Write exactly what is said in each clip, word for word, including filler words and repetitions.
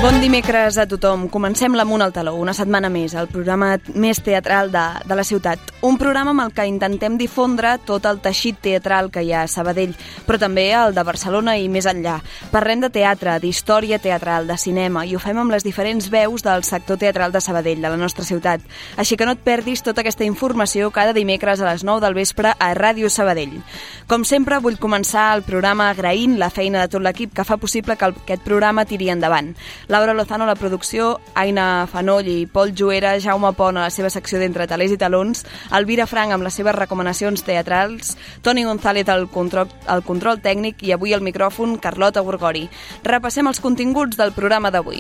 Bon dimecres a tothom. Comencem l'Amunt al Taló, una setmana més, el programa més teatral de, de la ciutat. Un programa amb el que intentem difondre tot el teixit teatral que hi ha a Sabadell, però també el de Barcelona i més enllà. Parlem de teatre, d'història teatral, de cinema, i ho fem amb les diferents veus del sector teatral de Sabadell, de la nostra ciutat. Així que no et perdis tota aquesta informació cada dimecres a les nou del vespre a Ràdio Sabadell. Com sempre, vull començar el programa agraint la feina de tot l'equip que fa possible que aquest programa tiri endavant. Laura Lozano a la producció, Aina Fanoll i Pol Juera, Jaume Pont a la seva secció d'Entre talers i talons, Elvira Frank amb les seves recomanacions teatrals, Toni González al control, al control tècnic i avui al micròfon Carlota Gorgori. Repassem els continguts del programa d'avui.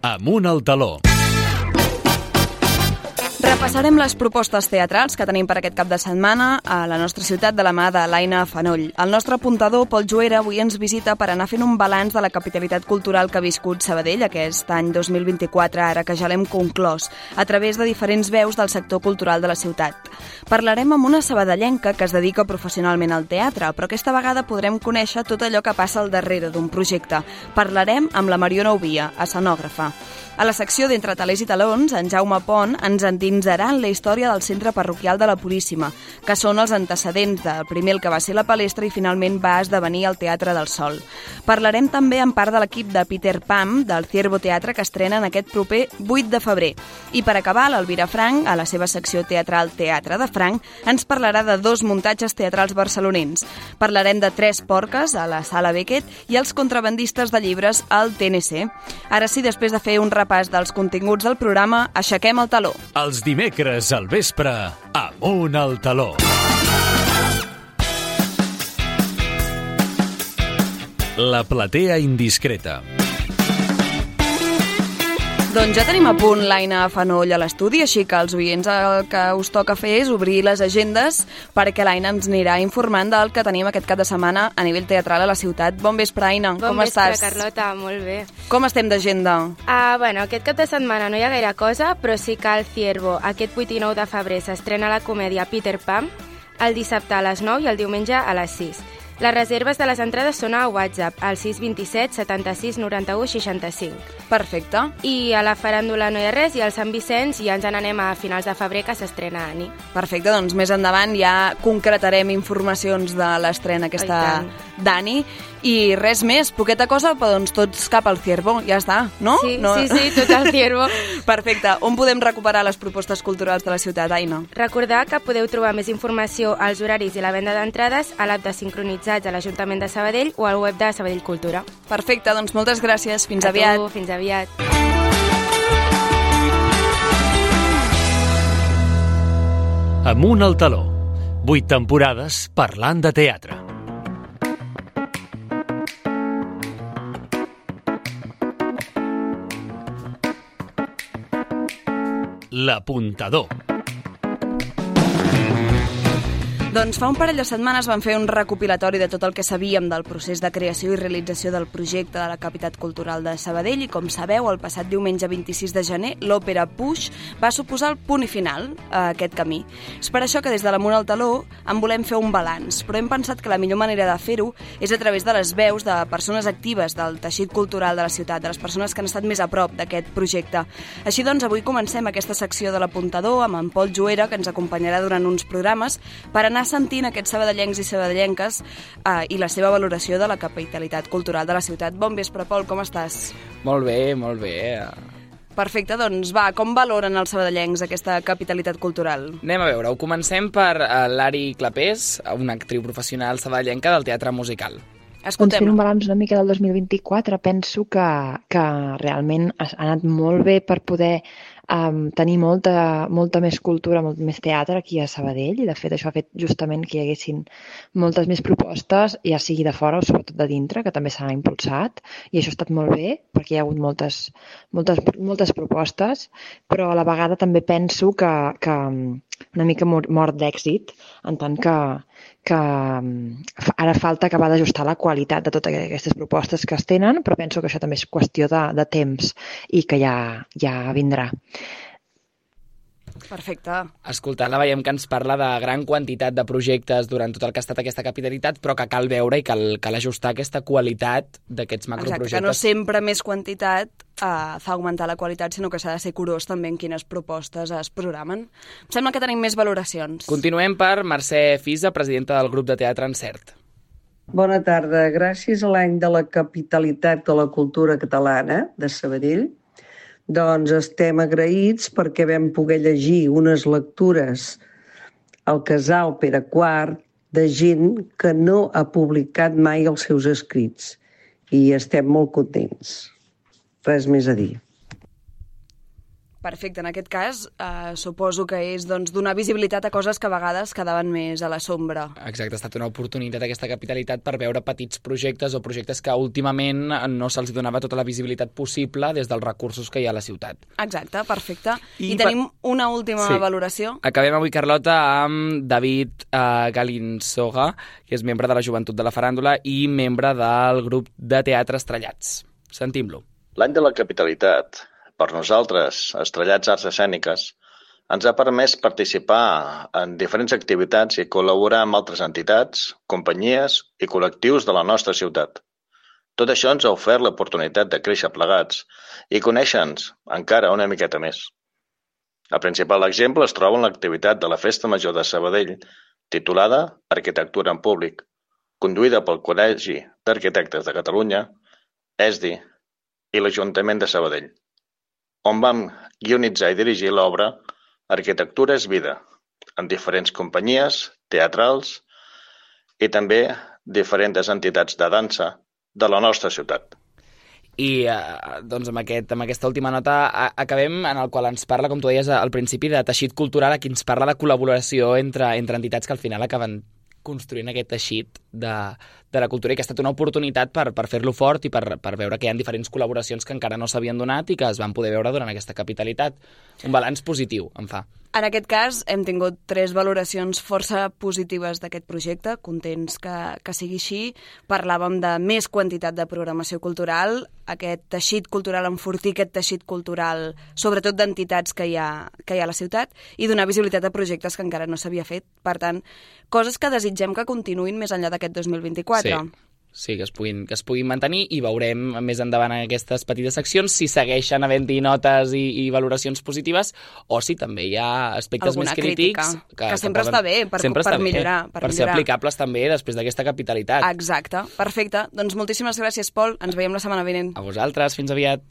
Amunt al Taló. Repassarem les propostes teatrals que tenim per aquest cap de setmana a la nostra ciutat de la mà de l'Aina Fanoll. El nostre apuntador, Pol Juera, avui ens visita per anar fent un balanç de la capitalitat cultural que ha viscut Sabadell aquest any dos mil vint-i-quatre, ara que ja l'hem conclòs, a través de diferents veus del sector cultural de la ciutat. Parlarem amb una sabadellenca que es dedica professionalment al teatre, però aquesta vegada podrem conèixer tot allò que passa al darrere d'un projecte. Parlarem amb la Mariona Ovia, escenògrafa. A la secció d'Entre talers i talons, en Jaume Pont ens endinsarà en la història del centre parroquial de la Puríssima, que són els antecedents del primer el que va ser la palestra i finalment va esdevenir el Teatre del Sol. Parlarem també en part de l'equip de Peter Pan, del Ciervo Teatre, que estrena en aquest proper vuit de febrer. I per acabar, l'Elvira Frank, a la seva secció teatral Teatre de Frank, ens parlarà de dos muntatges teatrals barcelonins. Parlarem de Tres porques, a la Sala Beckett, i els contrabandistes de llibres al T N C. Ara sí, després de fer un repàs dels continguts del programa, aixequem el taló. Els dimecres al vespre, Amunt al Taló. La platea indiscreta. Doncs ja tenim a punt l'Aina Fanoll a l'estudi, així que els oients el que us toca fer és obrir les agendes perquè l'Aina ens anirà informant del que tenim aquest cap de setmana a nivell teatral a la ciutat. Bon vespre, Aina. Bon Com vespre, estàs? Carlota, molt bé. Com estem d'agenda? Uh, bueno, aquest cap de setmana no hi ha gaire cosa, però sí que el Ciervo, aquest vuit i nou de febrer, s'estrena la comèdia Peter Pan, el dissabte a les nou i el diumenge a les sis. Les reserves de les entrades són a WhatsApp, al sis dos set, setanta-sis, noranta-u, seixanta-cinc. Perfecte. I a la faràndula no hi ha res, i al Sant Vicenç ja ens n'anem a finals de febrer, que s'estrena Ani. Perfecte, doncs més endavant ja concretarem informacions de l'estrena aquesta d'Ani. I res més, poqueta cosa, però doncs tots cap al Ciervo, ja està, no? Sí, no? sí, sí, tot al Ciervo. Perfecte. On podem recuperar les propostes culturals de la ciutat, Aina? Recordar que podeu trobar més informació als horaris i la venda d'entrades a l'app de Sincronitzats a l'Ajuntament de Sabadell o al web de Sabadell Cultura. Perfecte, doncs moltes gràcies. Fins a aviat. Tu, fins aviat. Amunt al Taló. Vuit temporades parlant de teatre. L'apuntador. Doncs fa un parell de setmanes vam fer un recopilatori de tot el que sabíem del procés de creació i realització del projecte de la Capitat Cultural de Sabadell i, com sabeu, el passat diumenge vint-i-sis de gener l'òpera Puix va suposar el punt i final a aquest camí. És per això que des de l'Amunt al Taló en volem fer un balanç, però hem pensat que la millor manera de fer-ho és a través de les veus de persones actives del teixit cultural de la ciutat, de les persones que han estat més a prop d'aquest projecte. Així doncs, avui comencem aquesta secció de l'Apuntador amb en Pol Juera, que ens acompanyarà durant uns programes per anar sentint aquests sabadellencs i sabadellenques eh, i la seva valoració de la capitalitat cultural de la ciutat. Bon vespre, Pol, com estàs? Molt bé, molt bé. Perfecte, doncs va, com valoren els sabadellencs aquesta capitalitat cultural? Anem a veure, ho comencem per uh, Lari Clapés, una actriu professional sabadellenca del teatre musical. Escoltem. Doncs fent un balanç una mica del dos mil vint-i-quatre, penso que, que realment ha anat molt bé per poder um, tenir molta, molta més cultura, molt més teatre aquí a Sabadell, i de fet això ha fet justament que hi haguessin moltes més propostes, ja sigui de fora o sobretot de dintre, que també s'ha impulsat, i això ha estat molt bé, perquè hi ha hagut moltes, moltes, moltes propostes, però a la vegada també penso que, que una mica mort d'èxit, en tant que, que ara falta acabar d'ajustar la qualitat de totes aquestes propostes que es tenen, però penso que això també és qüestió de, de temps i que ja, ja vindrà. Perfecte. Escoltant-la veiem que ens parla de gran quantitat de projectes durant tot el que ha estat aquesta capitalitat, però que cal veure i cal, cal ajustar aquesta qualitat d'aquests macroprojectes. Exacte, que no sempre més quantitat uh, fa augmentar la qualitat, sinó que s'ha de ser curós també en quines propostes es programen. Em sembla que tenim més valoracions. Continuem per Mercè Fisa, presidenta del grup de teatre Encert. Bona tarda. Gràcies a l'any de la capitalitat de la cultura catalana de Sabadell, doncs estem agraïts perquè vam poder llegir unes lectures al Casal Pere quart de gent que no ha publicat mai els seus escrits i estem molt contents. Res més a dir. Perfecte, en aquest cas eh, suposo que és doncs, donar visibilitat a coses que a vegades quedaven més a la sombra. Exacte, ha estat una oportunitat aquesta capitalitat per veure petits projectes o projectes que últimament no se'ls donava tota la visibilitat possible des dels recursos que hi ha a la ciutat. Exacte, perfecte. I, I tenim per... una última sí. valoració. Acabem avui, Carlota, amb David uh, Galinsoga, que és membre de la Joventut de la Faràndula i membre del grup de teatre Estrellats. Sentim-lo. L'any de la capitalitat, per nosaltres, Estrellats Arts Escèniques, ens ha permès participar en diferents activitats i col·laborar amb altres entitats, companyies i col·lectius de la nostra ciutat. Tot això ens ha ofert l'oportunitat de créixer plegats i conèixer-nos encara una miqueta més. El principal exemple es troba en l'activitat de la Festa Major de Sabadell, titulada Arquitectura en Públic, conduïda pel Col·legi d'Arquitectes de Catalunya, E S D I i l'Ajuntament de Sabadell, on vam guionitzar i dirigir l'obra Arquitectura és vida, en diferents companyies, teatrals i també diferents entitats de dansa de la nostra ciutat. I eh, doncs amb, aquest, amb aquesta última nota a, acabem en el qual ens parla, com tu deies al principi, de teixit cultural, aquí ens parla de col·laboració entre, entre entitats que al final acaben construint aquest teixit de, de la cultura i que ha estat una oportunitat per, per fer-lo fort i per, per veure que hi ha diferents col·laboracions que encara no s'havien donat i que es van poder veure durant aquesta capitalitat. Un balanç positiu, em fa. En aquest cas hem tingut tres valoracions força positives d'aquest projecte, contents que, que sigui així. Parlàvem de més quantitat de programació cultural, aquest teixit cultural, enfortir aquest teixit cultural, sobretot d'entitats que hi ha, que hi ha a la ciutat, i donar visibilitat a projectes que encara no s'havia fet. Per tant, coses que desitgem que continuïn més enllà d'aquest dos mil vint-i-quatre. Sí. Sí, que es, puguin, que es puguin mantenir i veurem més endavant en aquestes petites seccions si segueixen havent-hi notes i, i valoracions positives o si també hi ha aspectes alguna més crítics crítica, que, que sempre que poden, està bé per, sempre per està millorar. Bé, per, per millorar. ser aplicables també després d'aquesta capitalitat. Exacte, perfecte. Doncs moltíssimes gràcies, Pol. Ens veiem la setmana vinent. A vosaltres, fins aviat.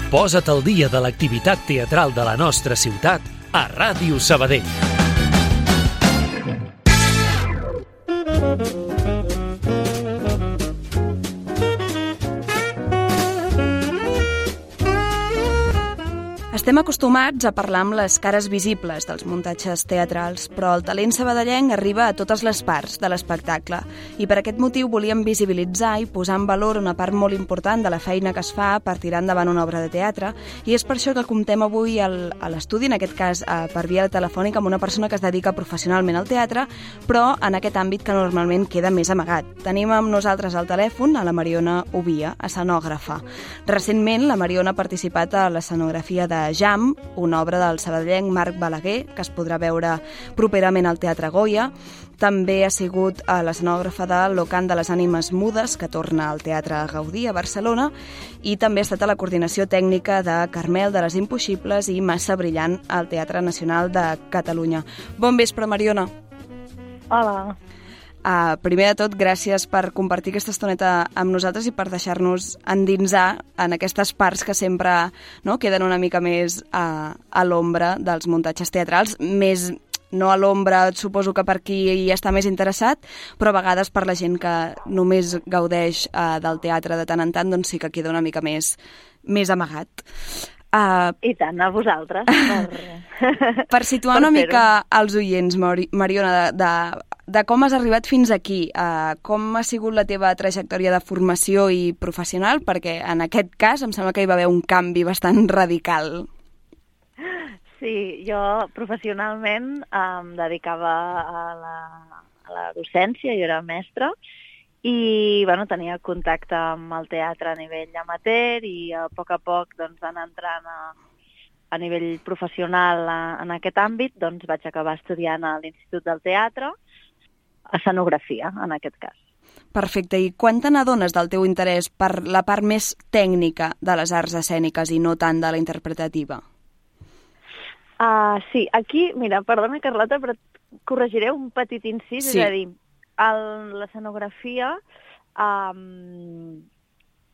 Posa't al dia de l'activitat teatral de la nostra ciutat a Ràdio Sabadell. Estem acostumats a parlar amb les cares visibles dels muntatges teatrals, però el talent sabadellenc arriba a totes les parts de l'espectacle i per aquest motiu volíem visibilitzar i posar en valor una part molt important de la feina que es fa per tirar endavant una obra de teatre i és per això que comptem avui al, a l'estudi, en aquest cas per via telefònica, amb una persona que es dedica professionalment al teatre, però en aquest àmbit que normalment queda més amagat. Tenim amb nosaltres al telèfon a la Mariona Ovia, escenògrafa. Recentment la Mariona ha participat a l'escenografia de Jam, una obra del sabadellenc Marc Balaguer, que es podrà veure properament al Teatre Goya. També ha sigut l'escenògrafa de L'Ocant de les Ànimes Mudes, que torna al Teatre Gaudí a Barcelona, i també ha estat a la coordinació tècnica de Carmel de les Impossibles i Massa Brillant al Teatre Nacional de Catalunya. Bon vespre, Mariona. Hola. Uh, primer de tot, gràcies per compartir aquesta estoneta amb nosaltres i per deixar-nos endinsar en aquestes parts que sempre no, queden una mica més uh, a l'ombra dels muntatges teatrals, més no a l'ombra, suposo que per qui hi està més interessat, però a vegades per la gent que només gaudeix uh, del teatre de tant en tant, doncs sí que queda una mica més, més amagat. Uh, I tant, a vosaltres. Per, per situar per una mica als oients, Mariona, de, de, de com has arribat fins aquí, uh, com ha sigut la teva trajectòria de formació i professional, perquè en aquest cas em sembla que hi va haver un canvi bastant radical. Sí, jo professionalment em dedicava a la, a la docència, jo era mestra, i bueno, tenia contacte amb el teatre a nivell amateur i a poc a poc doncs, anar entrant a, a nivell professional en aquest àmbit, doncs vaig acabar estudiant a l'Institut del Teatre, escenografia, en aquest cas. Perfecte. I quan te n'adones del teu interès per la part més tècnica de les arts escèniques i no tant de la interpretativa? Uh, sí, aquí, mira, perdona, Carlota, però corregiré un petit incís, sí. És a dir, l'escenografia um,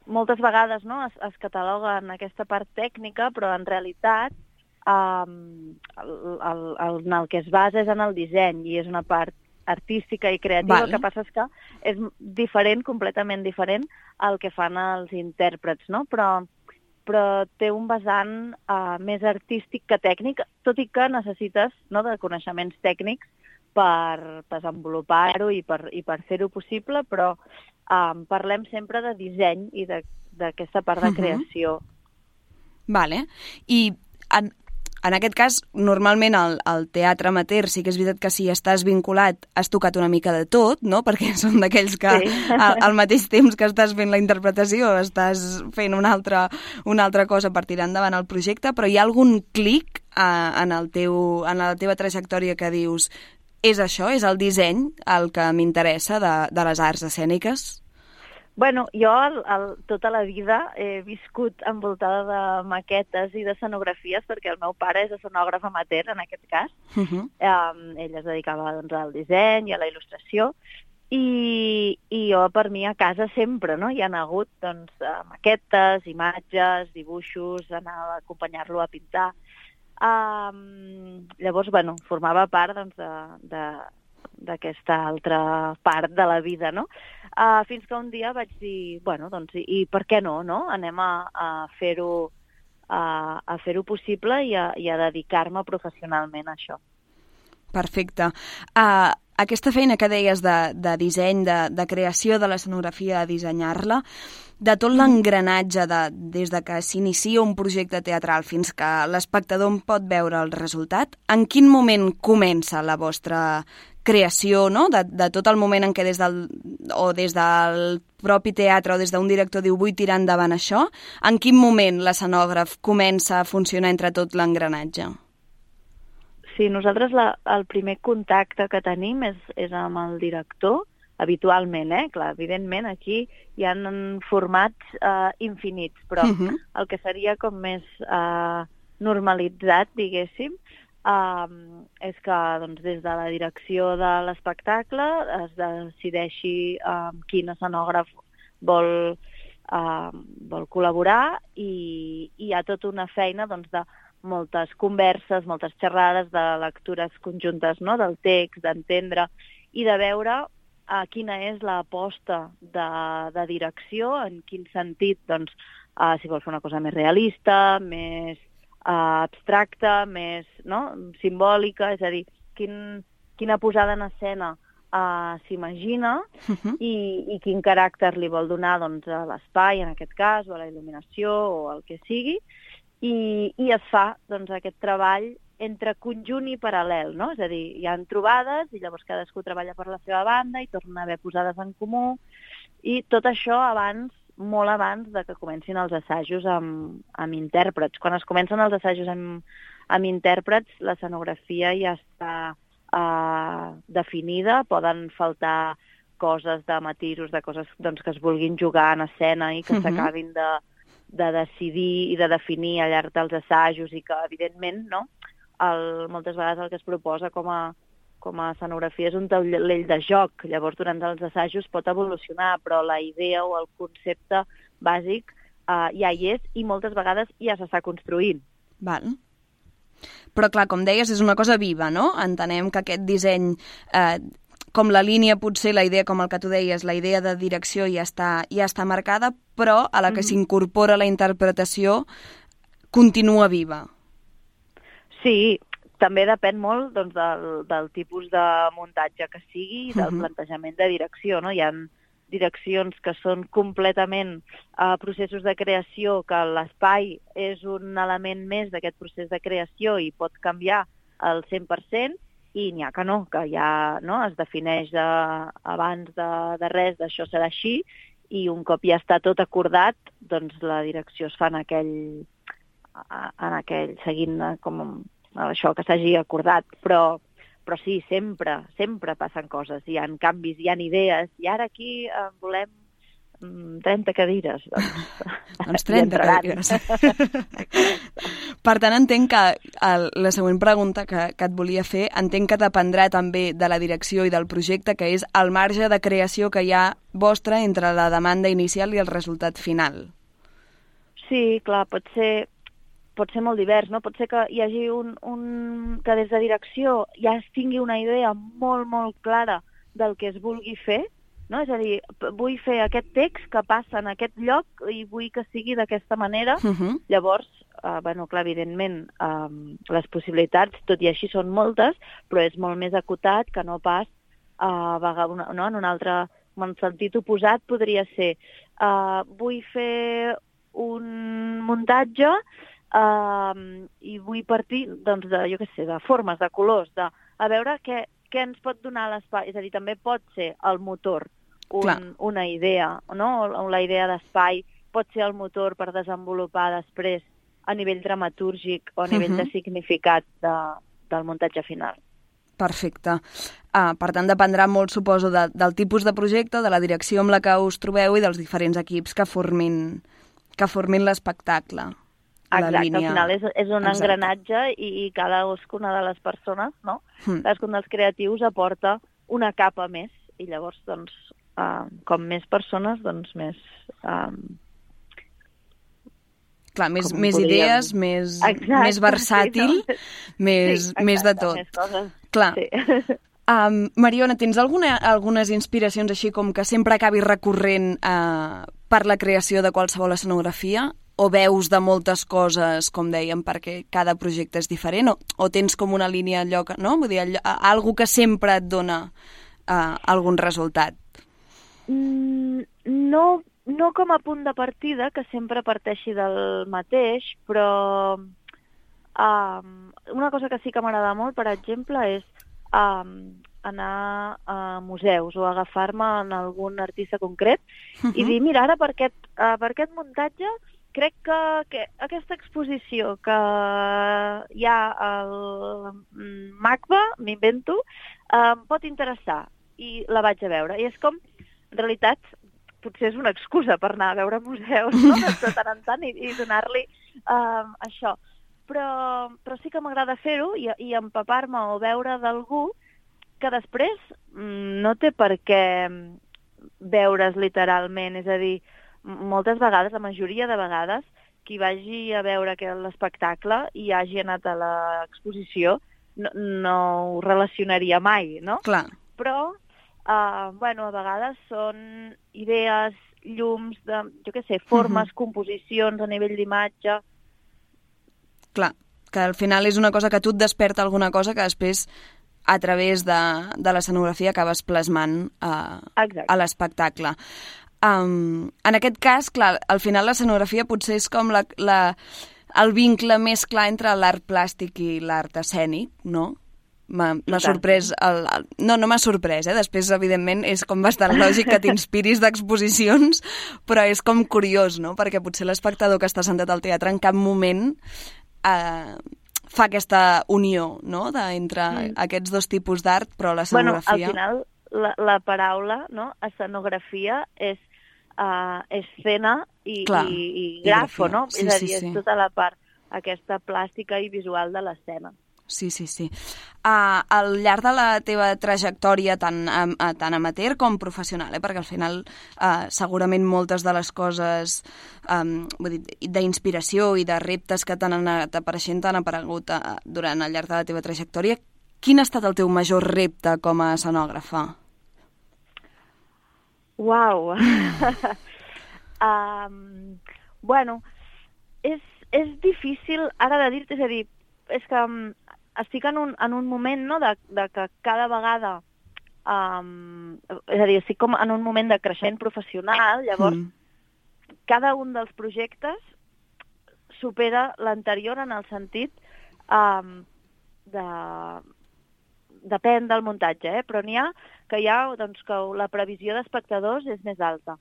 moltes vegades no, es, es cataloga en aquesta part tècnica, però en realitat um, el, el, el, en el que es basa és en el disseny i és una part artística i creativa. Vale. El que passa és que és diferent, completament diferent al que fan els intèrprets, no? Però, però té un vessant uh, més artístic que tècnic, tot i que necessites no, de coneixements tècnics per desenvolupar-ho i per, i per fer-ho possible, però um, parlem sempre de disseny i d'aquesta part de creació. Uh-huh. Vale. I en, en aquest cas, normalment al, al teatre amateur sí que és veritat que si estàs vinculat has tocat una mica de tot, no? Perquè són d'aquells que sí. al, al mateix temps que estàs fent la interpretació estàs fent una altra, una altra cosa per tirar endavant el projecte, però hi ha algun clic uh, en, el teu, en la teva trajectòria que dius és això, és el disseny el que m'interessa de, de les arts escèniques? Bueno, jo el, el, tota la vida he viscut envoltada de maquetes i d'escenografies perquè el meu pare és escenògraf amateur, en aquest cas. Uh-huh. Um, ell es dedicava doncs, al disseny i a la il·lustració i, i jo per mi a casa sempre no? Hi ha hagut doncs, maquetes, imatges, dibuixos, anar a acompanyar-lo a pintar. Um, llavors, bueno, formava part doncs, d'aquesta altra part de la vida, no? Uh, fins que un dia vaig dir, bueno, doncs, i, i per què no, no? Anem a, a fer-ho a, a fer-ho possible i a, i a dedicar-me professionalment a això. Perfecte. Uh, aquesta feina que deies de, de disseny, de, de creació de l'escenografia, de dissenyar-la, de tot l'engranatge de, des de que s'inicia un projecte teatral fins que l'espectador en pot veure el resultat, en quin moment comença la vostra creació, no? De, de tot el moment en què des del, o des del propi teatre o des d'un director diu vull tirar endavant això, en quin moment l'escenògraf comença a funcionar entre tot l'engranatge? Sí, nosaltres la, el primer contacte que tenim és, és amb el director, habitualment, eh? Clar, evidentment aquí hi ha formats eh, infinits, però uh-huh. el que seria com més eh, normalitzat, diguéssim, eh, és que doncs, des de la direcció de l'espectacle es decideixi eh, quin escenògraf vol, eh, vol col·laborar i, i hi ha tota una feina doncs, de moltes converses, moltes xerrades, de lectures conjuntes no? Del text, d'entendre i de veure Uh, quina és l'aposta de, de direcció, en quin sentit, doncs, uh, si vols fer una cosa més realista, més uh, abstracta, més no? Simbòlica, és a dir, quin, quina posada en escena uh, s'imagina uh-huh. i, i quin caràcter li vol donar doncs, a l'espai, en aquest cas, o a la il·luminació, o el que sigui, i, i es fa doncs, aquest treball entre conjunt i paral·lel, no? És a dir, hi ha trobades i llavors cadascú treballa per la seva banda i torna a haver posades en comú i tot això abans, molt abans de que comencin els assajos amb, amb intèrprets. Quan es comencen els assajos amb, amb intèrprets, l'escenografia ja està uh, definida, poden faltar coses de matisos, de coses doncs, que es vulguin jugar en escena i que uh-huh. s'acabin de, de decidir i de definir al llarg dels assajos i que, evidentment, no? El, moltes vegades el que es proposa com a, com a escenografia és un taulell de joc. Llavors, durant els assajos pot evolucionar, però la idea o el concepte bàsic uh, ja hi és i moltes vegades ja s'està construint. Val. Però, clar, com deies, és una cosa viva, no? Entenem que aquest disseny, eh, com la línia, potser la idea, com el que tu deies, la idea de direcció ja està, ja està marcada, però a la que mm-hmm. s'incorpora la interpretació continua viva. Sí, també depèn molt doncs, del, del tipus de muntatge que sigui i del uh-huh. plantejament de direcció. No? Hi ha direccions que són completament uh, processos de creació, que l'espai és un element més d'aquest procés de creació i pot canviar al cent per cent, i n'hi ha que no, que ja no, es defineix de, abans de, de res, d'això serà així, i un cop ja està tot acordat, doncs la direcció es fa en aquell, en aquell, seguint com això que s'hagi acordat, però, però sí, sempre, sempre passen coses, hi ha canvis, hi ha idees, i ara aquí eh, volem trenta cadires. Doncs, doncs trenta cadires. Per tant, entenc que el, la següent pregunta que, que et volia fer, entenc que dependrà també de la direcció i del projecte, que és el marge de creació que hi ha vostre entre la demanda inicial i el resultat final. Sí, clar, pot ser, pot ser molt divers, no? Pot ser que hi hagi un, un... que des de direcció ja es tingui una idea molt, molt clara del que es vulgui fer, no? És a dir, vull fer aquest text que passa en aquest lloc i vull que sigui d'aquesta manera. Uh-huh. Llavors, eh, bueno, clar, evidentment, eh, les possibilitats, tot i així, són moltes, però és molt més acotat que no pas eh, una, no? en un altre en sentit oposat podria ser eh, vull fer un muntatge eh, i vull partir doncs, de, jo què sé, de formes, de colors, de, a veure què, què ens pot donar l'espai. És a dir, també pot ser el motor un, una idea, no? La idea d'espai pot ser el motor per desenvolupar després a nivell dramatúrgic o a nivell uh-huh. de significat de, del muntatge final. Perfecte. Uh, per tant, dependrà molt, suposo, de, del tipus de projecte, de la direcció amb la que us trobeu i dels diferents equips que formin, que formin l'espectacle. Exacte, línia... al final és, és un Exacte. engranatge i, i cadascuna de les persones, no? Mm. Cadascun dels creatius aporta una capa més i llavors, doncs, uh, com més persones, doncs més... Um, Clar, més, més podríem... idees, més, Exacte, més versàtil, sí, no? més, sí, exacte, més de tot. Més coses. Clar. Sí. Um, Mariona, tens alguna, algunes inspiracions així com que sempre acabis recorrent uh, per la creació de qualsevol escenografia? O veus de moltes coses, com dèiem, perquè cada projecte és diferent? O, o tens com una línia allò que, no? Vull dir, allò, algo que sempre et dona uh, algun resultat? Mm, no, no com a punt de partida, que sempre parteixi del mateix, però um, una cosa que sí que m'agrada molt, per exemple, és um, anar a museus o agafar-me en algun artista concret uh-huh. i dir, mira, ara per aquest, uh, per aquest muntatge crec que, que aquesta exposició que hi ha al MACBA, m'invento, eh, em pot interessar i la vaig a veure. I és com, en realitat, potser és una excusa per anar a veure museus, no? De tant en tant i, i donar-li eh, això. Però, però sí que m'agrada fer-ho i, i empapar-me o veure d'algú que després no té per què veure's literalment, és a dir, moltes vegades, la majoria de vegades, qui vagi a veure l'espectacle i hagi anat a l'exposició no, no ho relacionaria mai, no? Clar. Però, uh, bueno, a vegades són idees, llums, de, jo què sé, formes, uh-huh. composicions a nivell d'imatge. Clar, que al final és una cosa que tu et desperta alguna cosa que després a través de, de l'escenografia acabes plasmant uh, a l'espectacle. Um, en aquest cas, clar, al final l'escenografia potser és com la, la, el vincle més clar entre l'art plàstic i l'art escènic, no? M'ha sorprès... El, el, no, no m'ha sorprès, eh? Després, evidentment, és com bastant lògic que t'inspiris d'exposicions, però és com curiós, no? Perquè potser l'espectador que està sentat al teatre en cap moment eh, fa aquesta unió, no?, de, entre mm. aquests dos tipus d'art, però l'escenografia... Bueno, al final... La, la paraula, no? Escenografia és uh, escena i, Clar, i, i grafo, i no? Sí, és a dir, sí, sí. És tota la part aquesta plàstica i visual de l'escena. Sí, sí, sí. Uh, al llarg de la teva trajectòria tant, uh, tant amateur com professional, eh? Perquè al final uh, segurament moltes de les coses um, vull dir, d'inspiració i de reptes que t'han anat apareixent t'han aparegut uh, durant el llarg de la teva trajectòria. Quin ha estat el teu major repte com a escenògrafa? Uau! um, bueno, és, és difícil ara de dir-te, és a dir, és que um, estic en un, en un moment, no?, de, de que cada vegada, um, és a dir, estic com en un moment de creixement professional, llavors mm. cada un dels projectes supera l'anterior en el sentit um, de... Depèn del muntatge, eh? Però n'hi ha que hi ha doncs, que la previsió d'espectadors és més alta.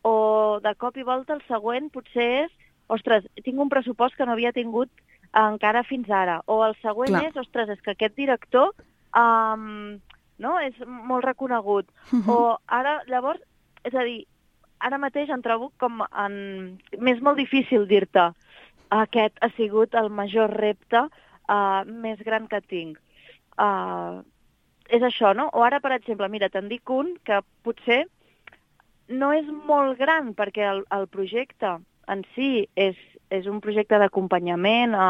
O de cop i volta el següent potser és ostres, tinc un pressupost que no havia tingut encara fins ara. O el següent Clar. és, ostres, és que aquest director um, no, és molt reconegut. Uh-huh. O ara, llavors, és a dir, ara mateix em trobo com en... M'és molt difícil dir-te aquest ha sigut el major repte uh, més gran que tinc. Uh, és això, no? O ara, per exemple, mira, te'n dic un que potser no és molt gran perquè el, el projecte en si és, és un projecte d'acompanyament a,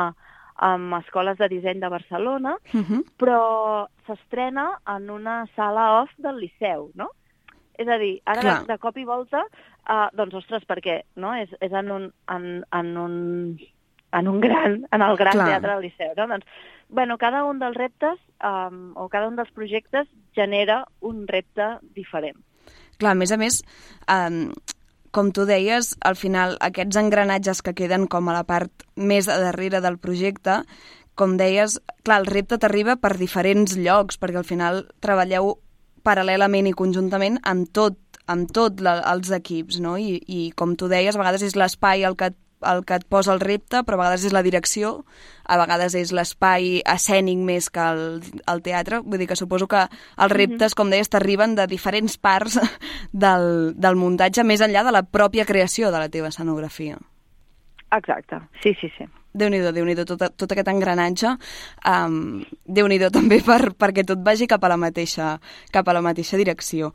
amb escoles de disseny de Barcelona, Uh-huh. però s'estrena en una sala off del Liceu, no? És a dir, ara Clar. de, de cop i volta, uh, doncs, ostres, perquè no? és, és en, un, en, en, un, en un gran, en el gran Clar. teatre del Liceu, no? Doncs, bueno, cada un dels reptes um, o cada un dels projectes genera un repte diferent. Clar, a més a més, um, com tu deies, al final aquests engranatges que queden com a la part més a darrere del projecte, com deies, clar, el repte t'arriba per diferents llocs, perquè al final treballeu paral·lelament i conjuntament amb tot, amb tot la, els equips, no? I, i com tu deies, a vegades és l'espai el que, el que et posa el repte, però a vegades és la direcció, a vegades és l'espai escènic més que el, el teatre. Vull dir que suposo que els reptes, com deies, t'arriben de diferents parts del, del muntatge, més enllà de la pròpia creació de la teva escenografia. Exacte, sí, sí, sí. Déu-n'hi-do, Déu-n'hi-do, tot, tot aquest engranatge, um, Déu-n'hi-do també per, perquè tot vagi cap a la mateixa, cap a la mateixa direcció.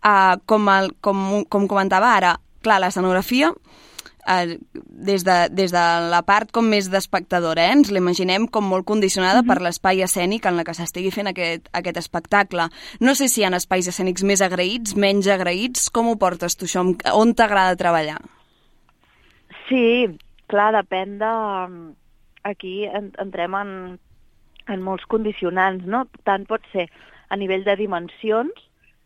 Uh, com, el, com, com comentava ara, clar, l'escenografia, uh, des, de, des de la part com més d'espectadora, eh, ens l'imaginem com molt condicionada mm-hmm. per l'espai escènic en la que s'estigui fent aquest, aquest espectacle. No sé si hi ha espais escènics més agraïts, menys agraïts, com ho portes tu això? On t'agrada treballar? Sí, clar, depèn de... Aquí entrem en, en molts condicionants, no? Tant pot ser a nivell de dimensions,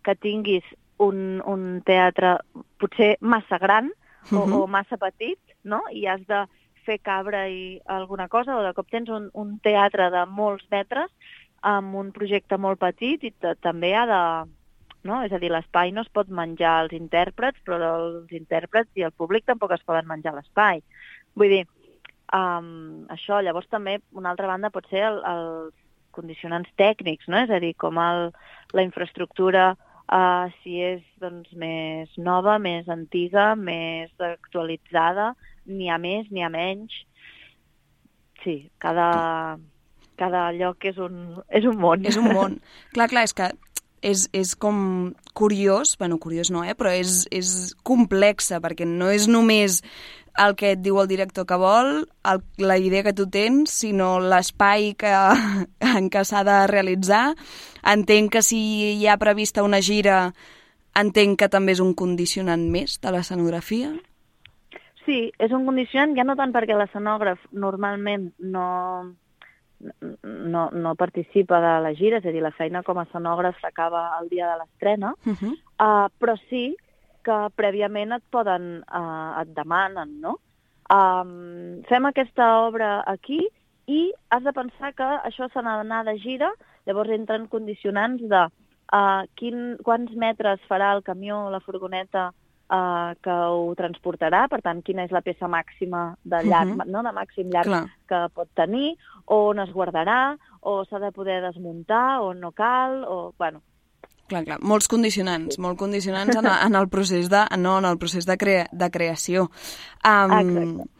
que tinguis un, un teatre potser massa gran o, uh-huh. o massa petit, no? I has de fer cabre i alguna cosa, o de cop tens un, un teatre de molts metres amb un projecte molt petit i t- també ha de... No? És a dir, l'espai no es pot menjar als intèrprets, però els intèrprets i el públic tampoc es poden menjar l'espai. Vull dir, um, això, llavors també, una altra banda, pot ser el, els condicionants tècnics, no? És a dir, com el, la infraestructura, uh, si és doncs, més nova, més antiga, més actualitzada, n'hi ha més, n'hi ha menys. Sí, cada, cada lloc és un, és un món. És un món. Clar, clar, és que és, és com curiós, bueno, curiós no, eh? Però és, és complexa, perquè no és només el que et diu el director que vol, el, la idea que tu tens, sinó l'espai que, en què s'ha de realitzar. Entenc que si hi ha prevista una gira, entenc que també és un condicionant més de l'escenografia. Sí, és un condicionant, ja no tant perquè l'escenògraf normalment no... No, no participa de la gira, és a dir, la feina com a escenògraf s'acaba el dia de l'estrena, uh-huh. uh, però sí que prèviament et poden, uh, et demanen, no? Um, fem aquesta obra aquí i has de pensar que això s'ha d'anar de gira, llavors entren condicionants de uh, quin, quants metres farà el camió o la furgoneta Uh, que ho transportarà, per tant, quina és la peça màxima de llarg, uh-huh. no? de màxim llarg Clar. Que pot tenir, on es guardarà, o s'ha de poder desmuntar, o no cal, o... bueno. Clar, clar, molts condicionants, sí. molt condicionants en, en el procés de, no, en el procés de, crea, de creació. Um, Exacte.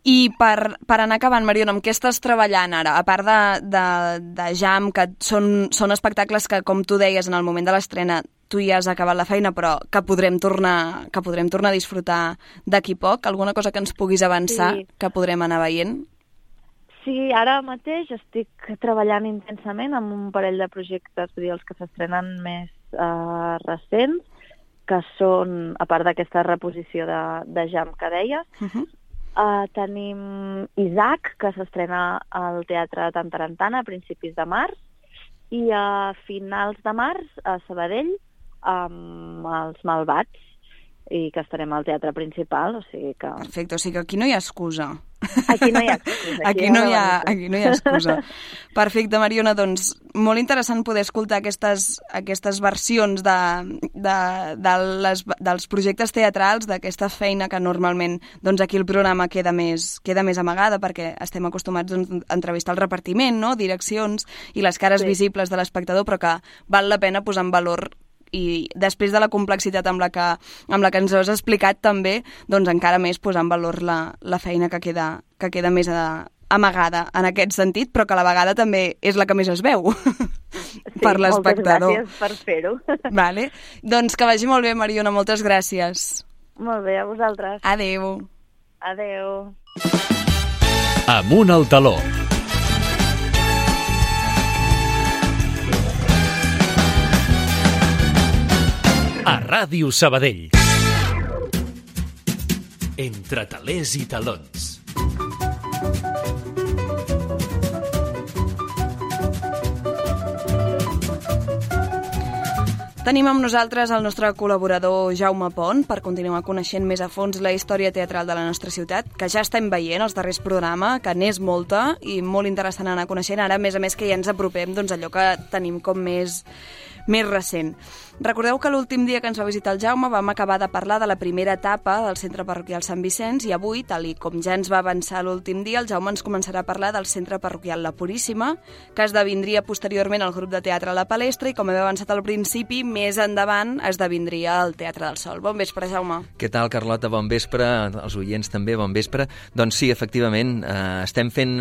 I per, per anar acabant, Mariona, amb què estàs treballant ara? A part de, de, de jam, que són, són espectacles que, com tu deies, en el moment de l'estrena tu ja has acabat la feina, però que podrem tornar, que podrem tornar a disfrutar d'aquí poc? Alguna cosa que ens puguis avançar, sí. que podrem anar veient? Sí, ara mateix estic treballant intensament amb un parell de projectes, vull dir, els que s'estrenen més uh, recents, que són, a part d'aquesta reposició de, de jam que deies, uh-huh. uh, tenim Isaac, que s'estrena al Teatre Tantarantana a principis de març, i a finals de març a Sabadell, amb els Malvats, i que estarem al teatre principal, o sigui que... Perfecte, o sigui que aquí no hi ha excusa. Aquí no hi ha excusa. Aquí, aquí, no, hi ha, aquí no hi ha excusa. Perfecte, Mariona, doncs molt interessant poder escoltar aquestes, aquestes versions de, de, de les, dels projectes teatrals, d'aquesta feina que normalment doncs, aquí el programa queda més, queda més amagada perquè estem acostumats doncs, a entrevistar el repartiment, no? Direccions i les cares sí. visibles de l'espectador, però que val la pena posar en valor i després de la complexitat amb la que, amb la que ens has explicat també, doncs encara més posar en valor la, la feina que queda, que queda més a, amagada en aquest sentit, però que a la vegada també és la que més es veu sí, per l'espectador. Moltes gràcies per fer-ho. Vale. Doncs que vagi molt bé, Mariona, moltes gràcies. Molt bé, a vosaltres. Adéu. Adéu. Amunt al taló. A Ràdio Sabadell. Entre talers i talons. Tenim amb nosaltres el nostre col·laborador Jaume Pont per continuar coneixent més a fons la història teatral de la nostra ciutat, que ja estem veient els darrers programes, que n'és molta i molt interessant anar coneixent. Ara, a més a més, que ja ens apropem doncs, allò que tenim com més, més recent. Recordeu que l'últim dia que ens va visitar el Jaume vam acabar de parlar de la primera etapa del Centre Parroquial Sant Vicenç i avui, tal i com ja ens va avançar l'últim dia, el Jaume ens començarà a parlar del Centre Parroquial La Puríssima, que esdevindria posteriorment el grup de teatre La Palestra i, com he avançat al principi, més endavant esdevindria el Teatre del Sol. Bon vespre, Jaume. Què tal, Carlota? Bon vespre. Els oients també, bon vespre. Doncs sí, efectivament, eh, estem fent...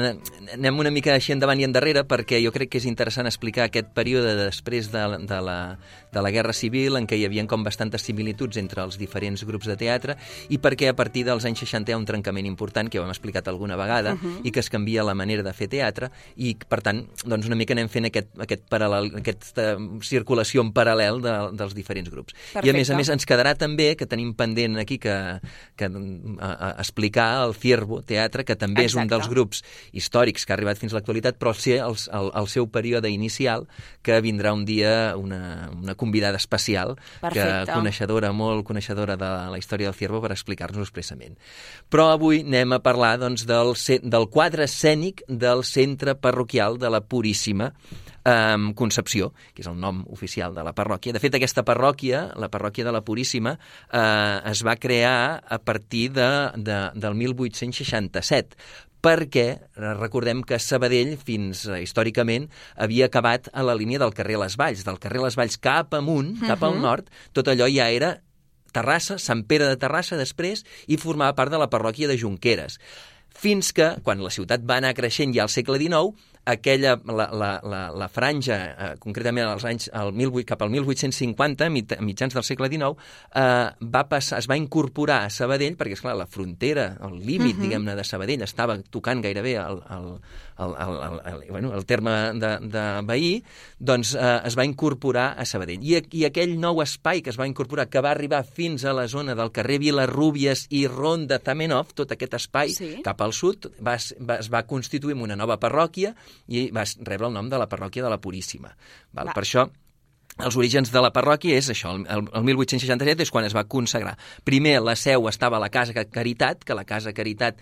Anem una mica així endavant i endarrere perquè jo crec que és interessant explicar aquest període després de, de, la, de la Guerra Civil, en què hi havia com bastantes similituds entre els diferents grups de teatre i perquè a partir dels anys seixanta hi ha un trencament important, que ja ho hem explicat alguna vegada, uh -huh. i que es canvia la manera de fer teatre i, per tant, doncs una mica anem fent aquest, aquest paral·lel, aquesta circulació en paral·lel de, dels diferents grups. Perfecte. I a més a més ens quedarà també, que tenim pendent aquí que, que a, a explicar el Ciervo Teatre, que també Exacte. És un dels grups històrics que ha arribat fins a l'actualitat, però ser el, el, el seu període inicial, que vindrà un dia una, una convidada especial, Perfecte. Que coneixedora, molt coneixedora de la història del Ciervo per explicar-nos expressament. Però avui anem a parlar doncs, del, del quadre escènic del Centre Parroquial de la Puríssima eh, Concepció, que és el nom oficial de la parròquia. De fet, aquesta parròquia, la parròquia de la Puríssima, eh, es va crear a partir de, de, del mil vuit-cents seixanta-set, perquè recordem que Sabadell, fins eh, històricament, havia acabat a la línia del carrer Les Valls. Del carrer Les Valls cap amunt, cap al nord, tot allò ja era Terrassa, Sant Pere de Terrassa després, i formava part de la parròquia de Junqueres. Fins que, quan la ciutat va anar creixent ja al segle dinou, aquella, la, la, la, la franja, eh, concretament als anys, al mil vuit, cap al mil vuit-cents cinquanta, mit, mitjans del segle dinou, eh, va passar, es va incorporar a Sabadell, perquè, esclar, la frontera, el límit, uh -huh. diguem-ne, de Sabadell estava tocant gairebé el, el, el, el, el, el, bueno, el terme de, de veí, doncs eh, es va incorporar a Sabadell. I, I aquell nou espai que es va incorporar, que va arribar fins a la zona del carrer Vilarrúbies i Ronda Zamenhof, tot aquest espai, sí. cap al sud, va, va, es va constituir en una nova parròquia, i va rebre el nom de la parròquia de la Puríssima. Val? Va. Per això, els orígens de la parròquia és això, el, el mil vuit-cents seixanta-set és quan es va consagrar. Primer, la seu estava a la Casa Caritat, que la Casa Caritat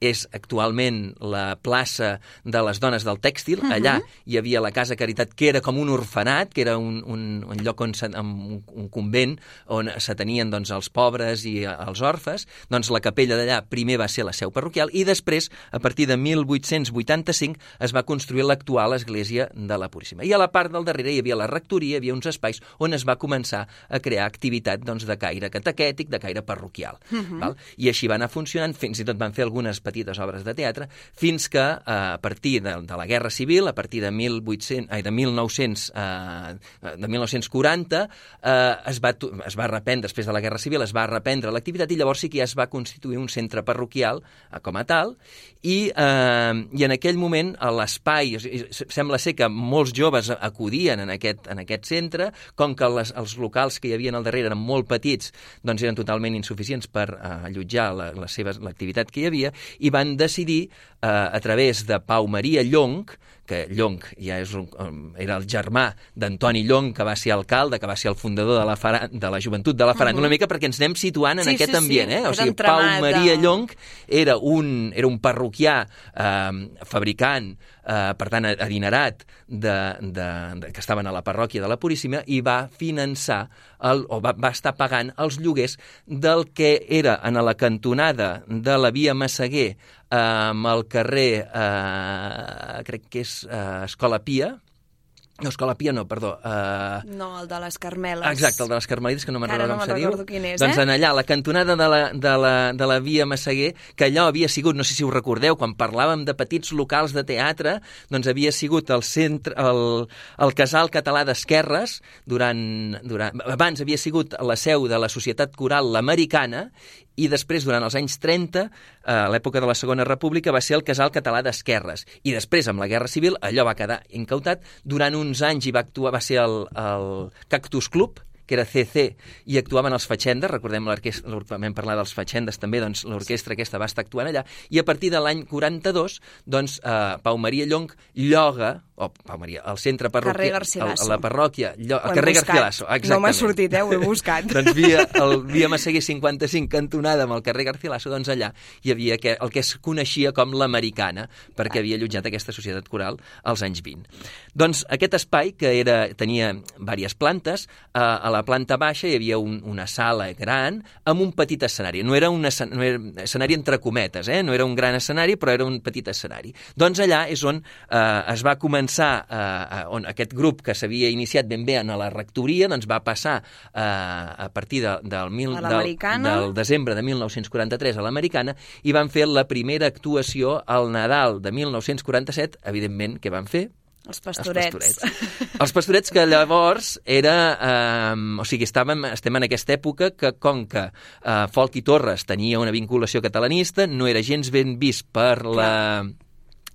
és actualment la plaça de les dones del tèxtil. Uh -huh. Allà hi havia la Casa Caritat, que era com un orfenat, que era un, un, un lloc on se, un, un convent on s'atenien doncs, els pobres i els orfes. Doncs la capella d'allà primer va ser la seu parroquial i després, a partir de mil vuit-cents vuitanta-cinc, es va construir l'actual església de la Puríssima. I a la part del darrere hi havia la rectoria, hi havia uns espais on es va començar a crear activitat doncs, de caire catequètic, de caire parroquial. Uh -huh. Val? I així va anar funcionant, fins i tot van fer algunes petites obres de teatre, fins que eh, a partir de, de la Guerra Civil, a partir de, mil vuit-cents, ai, de, mil nou-cents, eh, de mil nou-cents quaranta, eh, es, va, es va reprendre, després de la Guerra Civil, es va reprendre l'activitat i llavors sí que ja es va constituir un centre parroquial eh, com a tal, i, eh, i en aquell moment l'espai, sembla ser que molts joves acudien en aquest, en aquest centre, com que les, els locals que hi havia al darrere eren molt petits, doncs eren totalment insuficients per eh, allotjar la, la seva, l'activitat que hi havia, i van decidir, eh, a través de Pau Maria Llonch, que Llonch ja és un, era el germà d'Antoni Llonch, que va ser alcalde, que va ser el fundador de la, fara, de la joventut de la Faràndula, uh -huh. una mica perquè ens anem situant en sí, aquest sí, ambient. sí. Eh? O sigui, Pau Maria Llonch era un, era un parroquià eh, fabricant, eh, per tant, adinerat, de, de, de, que estaven a la parròquia de la Puríssima, i va finançar, el, o va, va estar pagant els lloguers del que era en la cantonada de la via Massaguer amb el carrer, eh, crec que és eh, Escola Pia, no, Escola Pia no, perdó. Uh... No, el de les Carmeles. Exacte, el de les Carmelites, que no me'n recordo no com se diu. Quin és, doncs eh? en allà, a la cantonada de la, de, la, de la via Massaguer, que allò havia sigut, no sé si ho recordeu, quan parlàvem de petits locals de teatre, doncs havia sigut el centre, el, el Casal Català d'Esquerres, durant, durant, abans havia sigut la seu de la Societat Coral l'Americana, i després, durant els anys trenta, a l'època de la Segona República, va ser el Casal Català d'Esquerres. I després, amb la Guerra Civil, allò va quedar incautat. Durant uns anys hi va actuar, va ser el, el Cactus Club, que era C C, i actuaven els Fatxendes, recordem l'orquestra, vam parlar dels Fatxendes també, doncs l'orquestra aquesta va estar actuant allà, i a partir de l'any quaranta-dos, doncs, eh, Pau Maria Llonch lloga, o Pau Maria, el centre parroquial, la parròquia, el carrer Garcilaso, exactament. No m'ha sortit, eh, ho he buscat. doncs via, el via Massaguer cinquanta-cinc, cantonada amb el carrer Garcilaso, doncs allà hi havia que, el que es coneixia com l'Americana, perquè havia allotjat aquesta societat coral als anys vint. Doncs aquest espai, que era, tenia diverses plantes, eh, a la planta baixa hi havia un, una sala gran amb un petit escenari. No era un escenari, no era escenari entre cometes, eh? No era un gran escenari, però era un petit escenari. Doncs allà és on eh, es va començar, eh, on aquest grup que s'havia iniciat ben bé en la rectoria, doncs va passar eh, a partir de, del, mil, del, del desembre de mil nou-cents quaranta-tres a l'Americana, i van fer la primera actuació al Nadal de mil nou-cents quaranta-set, evidentment, què van fer? Els pastorets. Els pastorets. Els pastorets que llavors era... Eh, o sigui, estàvem, estem en aquesta època que, com que eh, Folch i Torres tenia una vinculació catalanista, no era gens ben vist per la...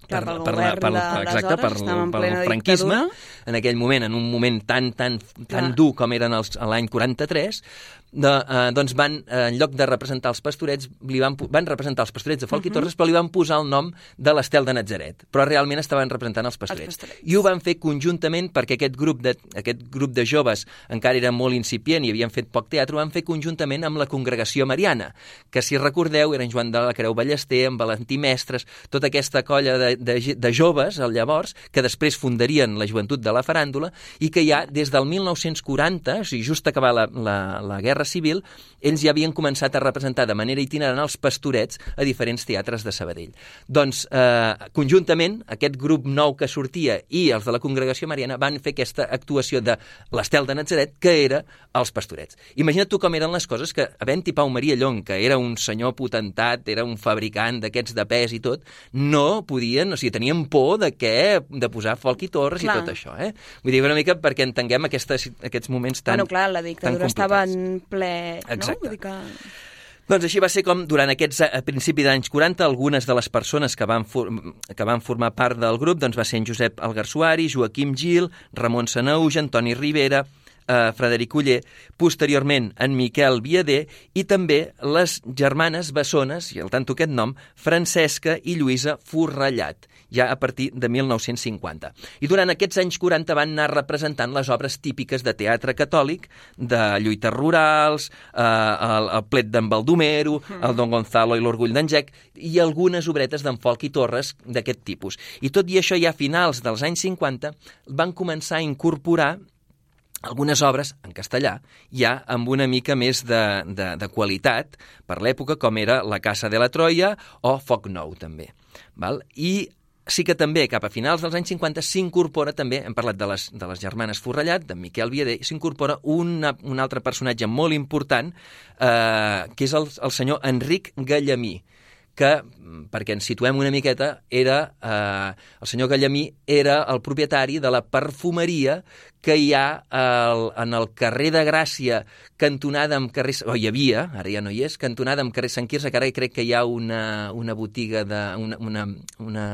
Per, per, per, la, per, la, exacte, per, per el franquisme, dictadura. En aquell moment, en un moment tan, tan, tan dur com eren els, l'any quaranta-tres, de, eh, doncs van, eh, en lloc de representar els pastorets, li van, van representar els pastorets de Folch uh -huh. i Torres, però li van posar el nom de l'Estel de Natzaret, però realment estaven representant els pastorets. els pastorets. I ho van fer conjuntament perquè aquest grup, de, aquest grup de joves encara era molt incipient i havien fet poc teatre, ho van fer conjuntament amb la Congregació Mariana, que si recordeu eren Joan de la Creu Ballester, en Valentí Mestres, tota aquesta colla de, de, de joves, llavors, que després fundarien la joventut de la faràndula i que ja des del mil nou-cents quaranta, o sigui, just acabar la, la, la Guerra Civil, ells ja havien començat a representar de manera itinerant els pastorets a diferents teatres de Sabadell. Doncs, eh, conjuntament, aquest grup nou que sortia i els de la Congregació Mariana van fer aquesta actuació de l'Estel de Natzaret, que era els pastorets. Imagina't tu com eren les coses, que havent-hi Pau Maria Llonch, que era un senyor potentat, era un fabricant d'aquests de pes i tot, no podien, o sigui, tenien por de què, de posar Folch i Torres clar. I tot això, eh? Vull dir, una mica perquè entenguem aquestes, aquests moments tan Bueno, clar, la dictadura estava en ple... Exacte. No? Vull dir que... Doncs així va ser com, durant aquests a principi d'anys quaranta, algunes de les persones que van, que van formar part del grup doncs va ser en Josep Alguersuari, Joaquim Gil, Ramon Sanauja, Antoni Rivera, eh, Frederic Oller, posteriorment en Miquel Viader i també les germanes bessones, i al tanto aquest nom, Francesca i Lluïsa Forrellat, ja a partir de mil nou-cents cinquanta. I durant aquests anys quaranta van anar representant les obres típiques de teatre catòlic, de lluites rurals, eh, el, el plet d'en Baldomero, el Don Gonzalo i l'Orgull d'en Jack, i algunes obretes d'en Folch i Torres d'aquest tipus. I tot i això, ja a finals dels anys cinquanta, van començar a incorporar algunes obres en castellà, ja amb una mica més de, de, de qualitat per l'època, com era La Casa de la Troia o Foc Nou, també. Val? I sí que també, cap a finals dels anys cinquanta, s'incorpora també, hem parlat de les, de les germanes Forrellat, de Miquel Viader, s'incorpora una, un altre personatge molt important, eh, que és el, el senyor Enric Gallamí, que, perquè ens situem una miqueta, era eh, el senyor Gallamí era el propietari de la perfumeria que hi ha el, en el carrer de Gràcia, cantonada amb carrer... o hi havia, ara ja no hi és, cantonada amb carrer Sant Quirze, que ara crec que hi ha una, una botiga de... una, una, una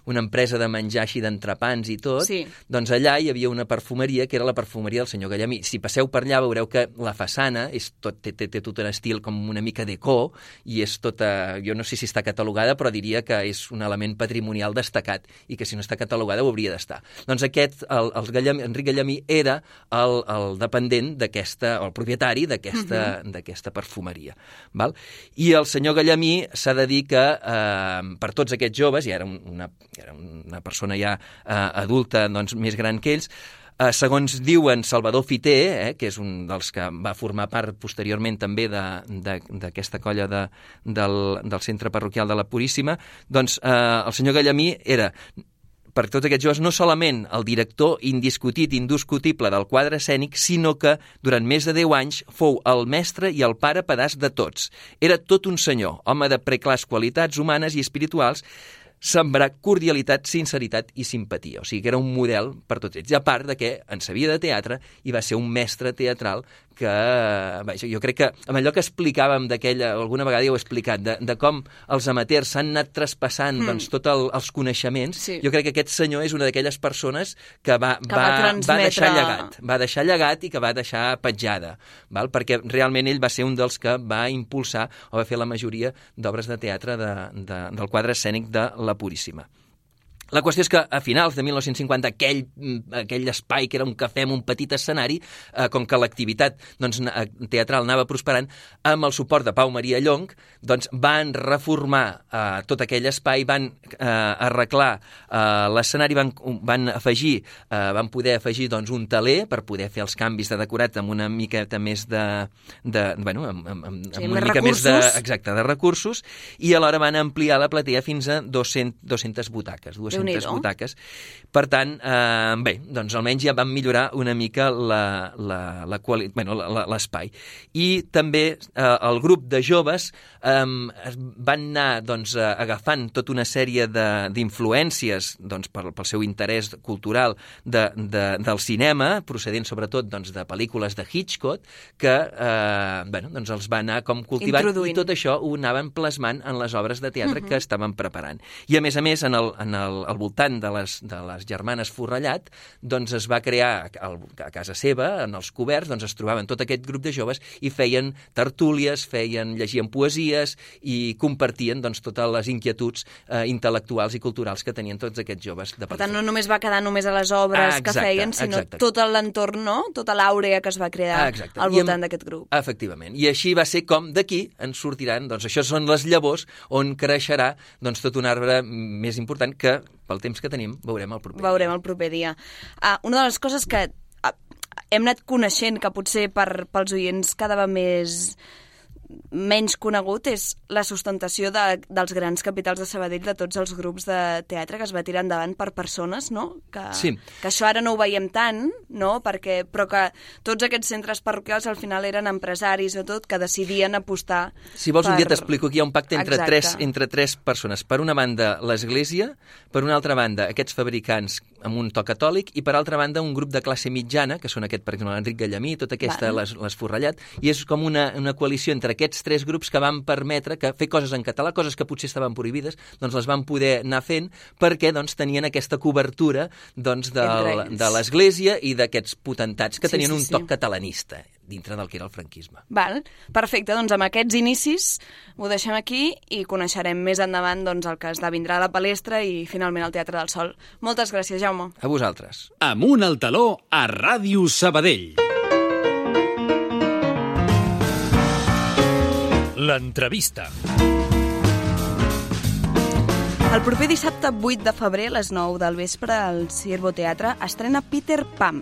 una empresa de menjar així d'entrepans i tot, sí. Doncs allà hi havia una perfumeria que era la perfumeria del senyor Gallamí. Si passeu per allà veureu que la façana és tot, té, té, té tot un estil com una mica déco i és tota, jo no sé si està catalogada, però diria que és un element patrimonial destacat i que si no està catalogada ho hauria d'estar. Doncs aquest, el, el Gallamí, Enric Gallamí, era el, el dependent d'aquesta, o el propietari d'aquesta uh-huh. d'aquesta perfumeria. Val? I el senyor Gallamí s'ha de dir que eh, per tots aquests joves, i era una, era una persona ja eh, adulta, doncs, més gran que ells, eh, segons diuen Salvador Fité, eh, que és un dels que va formar part posteriorment també d'aquesta colla de, del, del centre parroquial de la Puríssima, doncs eh, el senyor Gallamí era, per tots aquests joves, no solament el director indiscutit, indiscutible del quadre escènic, sinó que durant més de deu anys fou el mestre i el pare pedaç de tots. Era tot un senyor, home de preclars qualitats humanes i espirituals, sembrar cordialitat, sinceritat i simpatia. O sigui que era un model per tots ells. I a part de que en sabia de teatre i va ser un mestre teatral que, vaja, jo crec que amb allò que explicàvem d'aquella, alguna vegada ja ho he explicat, de, de com els amateurs s'han anat traspassant mm. doncs, tots el, els coneixements, sí. Jo crec que aquest senyor és una d'aquelles persones que va, que va, va, transmetre... va deixar llegat, va deixar llegat i que va deixar petjada, val? Perquè realment ell va ser un dels que va impulsar o va fer la majoria d'obres de teatre de, de, del quadre escènic de la Puríssima. La qüestió és que a finals de mil nou-cents cinquanta aquell, aquell espai que era un cafè amb un petit escenari, eh, com que l'activitat doncs, teatral anava prosperant, amb el suport de Pau Maria Llonch, doncs van reformar eh, tot aquell espai, van eh, arreglar eh, l'escenari, van, van afegir, eh, van poder afegir doncs, un teler per poder fer els canvis de decorat amb una miqueta més de... de bueno, amb, amb, amb, sí, amb una més mica recursos. més de, exacte, de recursos, i alhora van ampliar la platea fins a dues-centes butaques, dues-centes butaques. Per tant, eh, bé, doncs almenys ja van millorar una mica la, la, la quali... bueno, l'espai. I també eh, el grup de joves eh, van anar doncs, agafant tota una sèrie d'influències doncs, pel, pel seu interès cultural de, de, del cinema, procedent sobretot doncs, de pel·lícules de Hitchcock, que eh, bueno, doncs els va anar com cultivant Introduint. I tot això ho anaven plasmant en les obres de teatre uh-huh. que estaven preparant. I a més a més, en el, en el al voltant de les, de les germanes Forrellat, doncs es va crear el, a casa seva, en els coberts, doncs es trobaven tot aquest grup de joves i feien tertúlies, feien, llegien poesies i compartien doncs, totes les inquietuds eh, intel·lectuals i culturals que tenien tots aquests joves de Per tant, no només va quedar només a les obres ah, exacte, que feien, sinó exacte. Tot l'entorn, no? Tota l'àurea que es va crear ah, al voltant d'aquest grup. Efectivament. I així va ser com d'aquí ens sortiran, doncs això són les llavors on creixerà doncs, tot un arbre més important que pel temps que tenim, veurem el proper dia. Veurem el proper dia. Uh, una de les coses que uh, hem anat coneixent, que potser per, pels oients quedava més menys conegut, és la sustentació de, dels grans capitals de Sabadell, de tots els grups de teatre que es va tirar endavant per persones, no? Que, sí. que això ara no ho veiem tant, no? Perquè, però que tots aquests centres parroquials al final eren empresaris o tot que decidien apostar. Si vols per... un dia t'explico que hi ha un pacte entre tres, Exacte. entre tres persones. Per una banda, l'Església, per una altra banda, aquests fabricants amb un to catòlic, i per altra banda, un grup de classe mitjana, que són aquest, per exemple, l'Enric Gallamí, tota aquesta, les, les Forrellat, i és com una, una coalició entre aquests tres grups que van permetre que fer coses en català, coses que potser estaven prohibides, doncs les van poder anar fent perquè doncs, tenien aquesta cobertura doncs, del, de l'Església i d'aquests potentats que sí, tenien sí, un sí. toc catalanista dintre del que era el franquisme. Val, perfecte, doncs amb aquests inicis ho deixem aquí i coneixerem més endavant doncs, el que esdevindrà la palestra i finalment el Teatre del Sol. Moltes gràcies, Jaume. A vosaltres. Amunt al taló a Ràdio Sabadell. L'entrevista. El proper dissabte vuit de febrer, a les nou del vespre, al Ciervo Teatre estrena Peter Pan,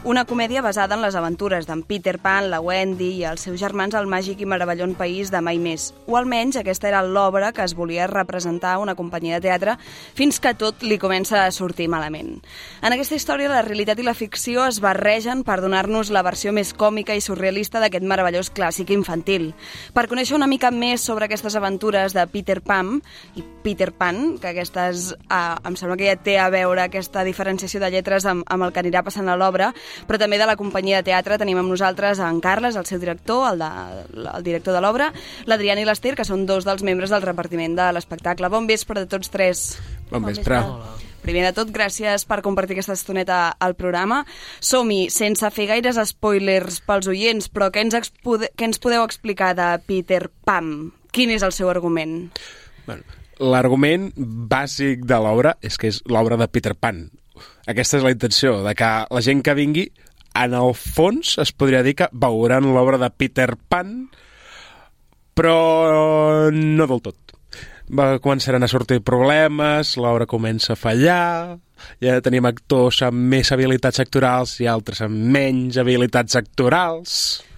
una comèdia basada en les aventures d'en Peter Pan, la Wendy i els seus germans al màgic i meravellós país de mai més. O almenys aquesta era l'obra que es volia representar una companyia de teatre fins que tot li comença a sortir malament. En aquesta història la realitat i la ficció es barregen per donar-nos la versió més còmica i surrealista d'aquest meravellós clàssic infantil. Per conèixer una mica més sobre aquestes aventures de Peter Pan i Peter Pan, que aquestes, eh, em sembla que ja té a veure aquesta diferenciació de lletres amb, amb el que anirà passant a l'obra, però també de la companyia de teatre tenim amb nosaltres en Carles, el seu director, el, de, el director de l'obra, l'Adriana i l'Ester, que són dos dels membres del repartiment de l'espectacle. Bon vespre de tots tres. Bon vespre. Primer de tot, gràcies per compartir aquesta estoneta al programa. Som-hi, sense fer gaires spoilers pels oients, però què ens, expode... què ens podeu explicar de Peter Pan? Quin és el seu argument? Bueno, l'argument bàsic de l'obra és que és l'obra de Peter Pan. Aquesta és la intenció, de que la gent que vingui, en el fons, es podria dir que veuran l'obra de Peter Pan, però no del tot. Va, començaran a sortir problemes, l'obra comença a fallar, ja tenim actors amb més habilitats actorals i altres amb menys habilitats actorals.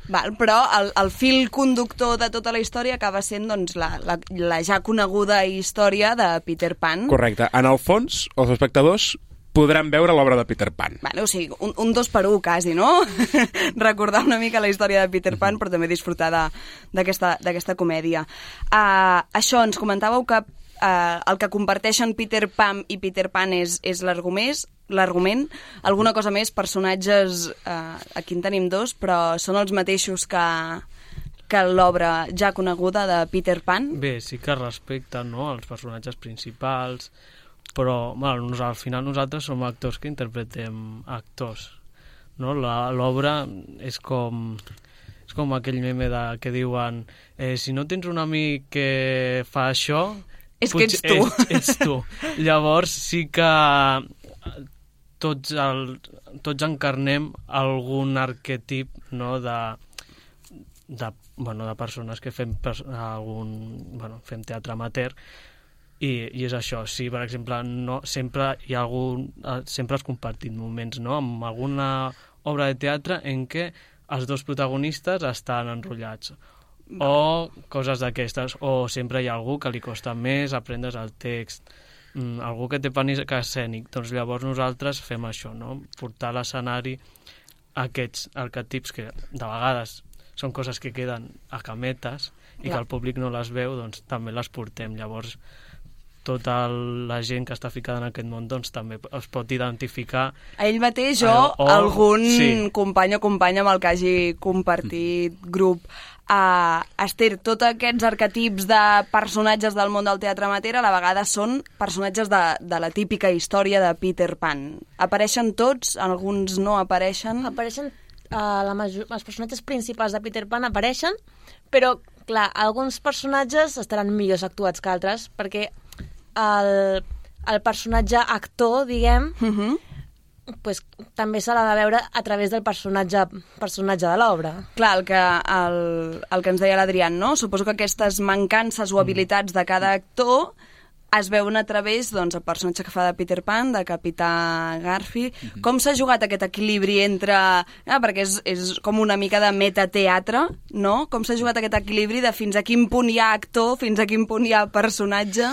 Val, però el, el fil conductor de tota la història acaba sent doncs, la, la, la ja coneguda història de Peter Pan. Correcte. En el fons, els espectadors podran veure l'obra de Peter Pan. Vale, o sigui, un, un dos per un, quasi, no? Recordar una mica la història de Peter Pan, però també disfrutar d'aquesta comèdia. Uh, això, ens comentàveu que uh, el que comparteixen Peter Pan i Peter Pan és, és l'argument, l'argument. Alguna cosa més, personatges, uh, aquí en tenim dos, però són els mateixos que, que l'obra ja coneguda de Peter Pan? Bé, sí que respecten, no?, els personatges principals, però bueno, al final nosaltres som actors que interpretem actors, no? L'obra és com és com aquell meme de, que diuen eh, si no tens un amic que fa això és que ets tu. Ets, ets tu. Llavors sí que tots, el, tots encarnem algun arquetip, no?, de, de, bueno, de persones que fem, algun, bueno, fem teatre amateur. I, i és això, sí, per exemple, no, sempre hi ha algun, sempre has compartit moments, no?, amb alguna obra de teatre en què els dos protagonistes estan enrotllats, o coses d'aquestes, o sempre hi ha algú que li costa més aprendre's el text, mm, algú que té pànic escènic, doncs llavors nosaltres fem això, no?, portar a l'escenari aquests arquetips que de vegades són coses que queden a cametes i Clar. que el públic no les veu, doncs també les portem, llavors tota la gent que està ficada en aquest món doncs també es pot identificar a ell mateix o, o algun sí. company o companya amb el que hagi compartit grup. Uh, Esther, tots aquests arquetips de personatges del món del teatre amateur a la vegada són personatges de, de la típica història de Peter Pan. Apareixen tots? Alguns no apareixen? Apareixen, uh, la major... els personatges principals de Peter Pan apareixen, però clar, alguns personatges estaran millors actuats que altres, perquè El, el personatge actor, diguem, uh-huh. pues, també se l'ha de veure a través del personatge, personatge de l'obra. Clar, el que, el, el que ens deia l'Adrián, no? Suposo que aquestes mancances o habilitats de cada actor es veuen a través doncs, el personatge que fa de Peter Pan, de Capità Garfi. Uh-huh. Com s'ha jugat aquest equilibri entre... Ah, perquè és, és com una mica de metateatre, no? Com s'ha jugat aquest equilibri de fins a quin punt hi ha actor, fins a quin punt hi ha personatge...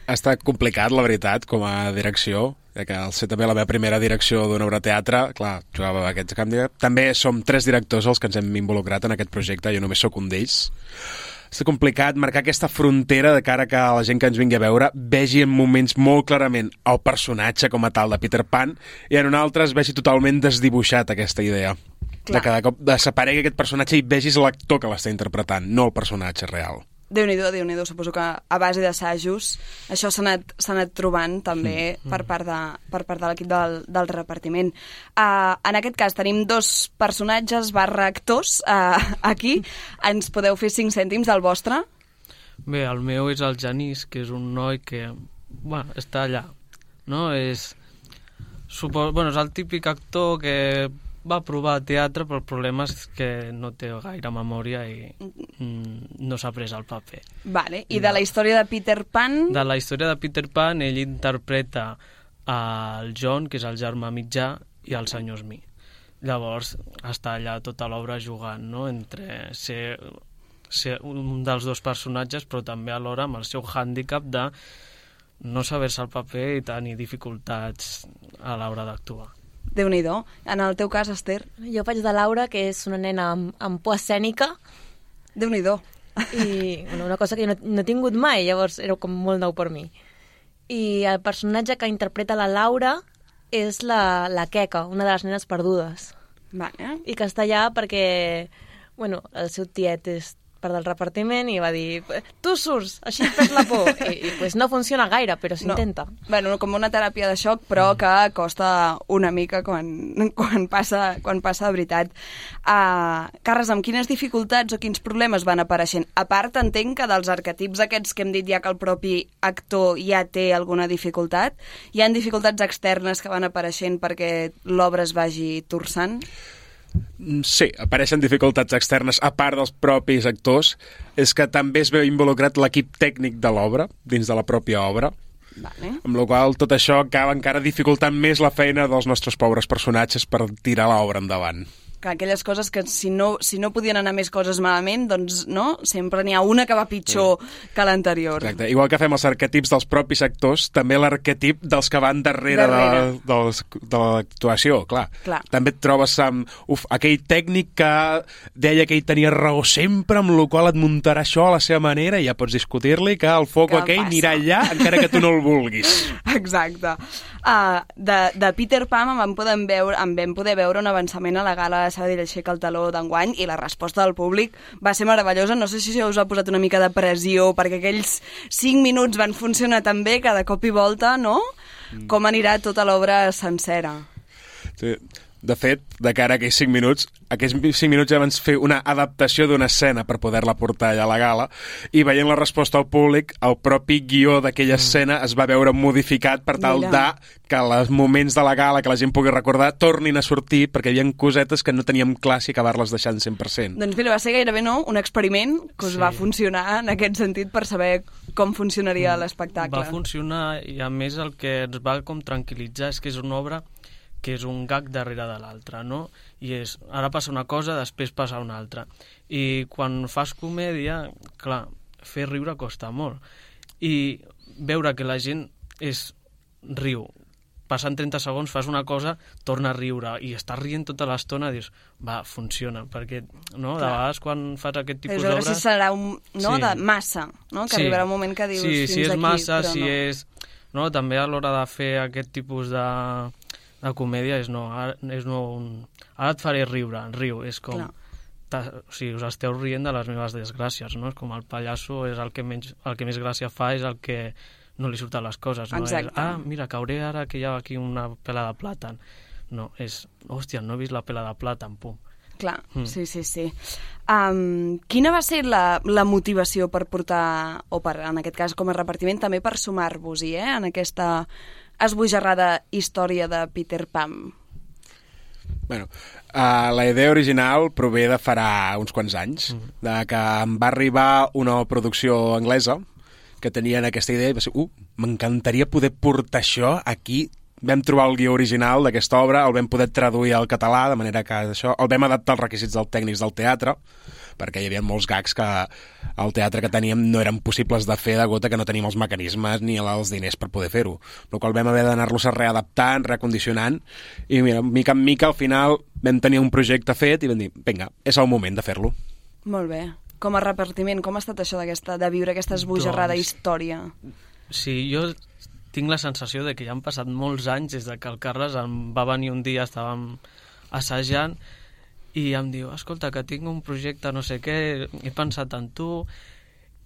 Ha estat complicat, la veritat, com a direcció, ja que al ser també la meva primera direcció d'una obra de teatre, clar, jugava a aquests canvis. També som tres directors els que ens hem involucrat en aquest projecte, jo només sóc un d'ells. Ha estat complicat marcar aquesta frontera de cara que la gent que ens vingui a veure vegi en moments molt clarament el personatge com a tal de Peter Pan i en un altre es vegi totalment desdibuixat aquesta idea. Clar. De cada cop desaparegui aquest personatge i vegis l'actor que l'està interpretant, no el personatge real. Déu-n'hi-do, Déu-n'hi-do, suposo que a base d'assajos això s'ha anat, s'ha anat trobant també mm. per part de, per part de l'equip del, del repartiment. Uh, en aquest cas tenim dos personatges barra actors uh, aquí. Ens podeu fer cinc cèntims del vostre? Bé, el meu és el Genís, que és un noi que bueno, està allà, no? És, suposo, bueno, és el típic actor que va provar teatre, però el problema és que no té gaire memòria i mm, no s'ha pres el paper. Vale. I de la història de Peter Pan? De la història de Peter Pan, ell interpreta el John, que és el germà mitjà, i el senyor Smith. Llavors està allà tota l'obra jugant, no?, entre ser, ser un dels dos personatges, però també alhora amb el seu hàndicap de no saber-se el paper i tenir dificultats a l'hora d'actuar. Déu-n'hi-do. En el teu cas, Esther? Jo faig de Laura, que és una nena amb, amb por escènica. Déu-n'hi-do. I bueno, una cosa que jo no, no he tingut mai, llavors era com molt nou per mi. I el personatge que interpreta la Laura és la, la Queca, una de les nenes perdudes. Vale. I que està allà perquè bueno, el seu tiet és part del repartiment i va dir, tu surts, així et perds la por. I, i pues no funciona gaire, però s'intenta. No. Bueno, com una teràpia de xoc, però que costa una mica quan, quan, passa, quan passa de veritat. Uh, Carles, amb quines dificultats o quins problemes van apareixent? A part, entenc que dels arquetips aquests que hem dit ja que el propi actor ja té alguna dificultat, hi ha dificultats externes que van apareixent perquè l'obra es vagi torçant? Sí, apareixen dificultats externes a part dels propis actors. És que també es veu involucrat l'equip tècnic de l'obra, dins de la pròpia obra. Vale. Amb la qual tot això acaba encara dificultant més la feina dels nostres pobres personatges per tirar l'obra endavant. Que aquelles coses que si no, si no podien anar més coses malament, doncs no, sempre n'hi ha una que va pitjor sí. que l'anterior. Exacte. Igual que fem els arquetips dels propis actors, també l'arquetip dels que van darrere, darrere. De, dels, de l'actuació, clar. clar. També et trobes amb uf, aquell tècnic que deia que ell tenia raó sempre, amb la qual et muntarà això a la seva manera, i ja pots discutir-li que el foc aquell passa? Anirà allà encara que tu no el vulguis. Exacte. Uh, de, de Peter Pan en vam, poder veure, en vam poder veure un avançament a la gala Sabadell aixeca el taló d'enguany i la resposta del públic va ser meravellosa. No sé si us ha posat una mica de pressió perquè aquells cinc minuts van funcionar tan bé que de cop i volta, no? Mm. Com anirà tota l'obra sencera? Sí. De fet, de cara a aquells cinc minuts, aquells cinc minuts ja van fer una adaptació d'una escena per poder-la portar allà a la gala, i veient la resposta al públic, el propi guió d'aquella escena es va veure modificat per tal Mira. de que els moments de la gala que la gent pugui recordar tornin a sortir, perquè hi havia cosetes que no teníem clar si acabar-les deixant cent per cent. Doncs mira, va ser gairebé no, un experiment que us sí. va funcionar en aquest sentit per saber com funcionaria mm. l'espectacle. Va funcionar, i a més el que ens va com tranquil·litzar és que és una obra que és un gag darrere de l'altre, no? I és, ara passa una cosa, després passa una altra. I quan fas comèdia, clar, fer riure costa molt. I veure que la gent és riu, passant trenta segons fas una cosa, torna a riure, i estàs rient tota l'estona, dius, va, funciona, perquè, no?, de vegades quan fas aquest tipus d'obres... Si serà un, no?, sí. de massa, no?, que sí. arribarà un moment que dius, sí, fins si és aquí, massa, però si no. és... No, també a l'hora de fer aquest tipus de... La comèdia és no, ara, és no un... ara et faré riure, riu, és com... Ta, o sigui, us esteu rient de les meves desgràcies, no? És com el pallasso és el que, menys, el que més gràcia fa, és el que no li surten les coses, no? És, ah, mira, cauré ara que hi ha aquí una pela de plàtan. No, és, hòstia, no he vist la pela de plàtan, pum. Clar, mm. sí, sí, sí. Um, quina va ser la, la motivació per portar, o per, en aquest cas com a repartiment, també per sumar-vos-hi, eh, en aquesta esbojarrada història de Peter Pan? Bueno, uh, la idea original prové de farà uns quants anys, mm. de que em va arribar una producció anglesa que tenien aquesta idea i va ser, uh, m'encantaria poder portar això aquí. Vam trobar el guió original d'aquesta obra, el vam poder traduir al català, de manera que això, el vam adaptar als requisits dels tècnics del teatre, perquè hi havia molts gags que al teatre que teníem no eren possibles de fer degut a que no teníem els mecanismes ni els diners per poder fer-ho. El qual vam haver d'anar-los readaptant, recondicionant, i mira, mica en mica al final vam tenir un projecte fet i vam dir, vinga, és el moment de fer-lo. Molt bé. Com a repartiment, com ha estat això d'aquesta de viure aquesta esbojarrada doncs... història? Sí, jo tinc la sensació de que ja han passat molts anys des de que el Carles em va venir un dia, estàvem assajant, i em diu, escolta, que tinc un projecte no sé què, he pensat en tu,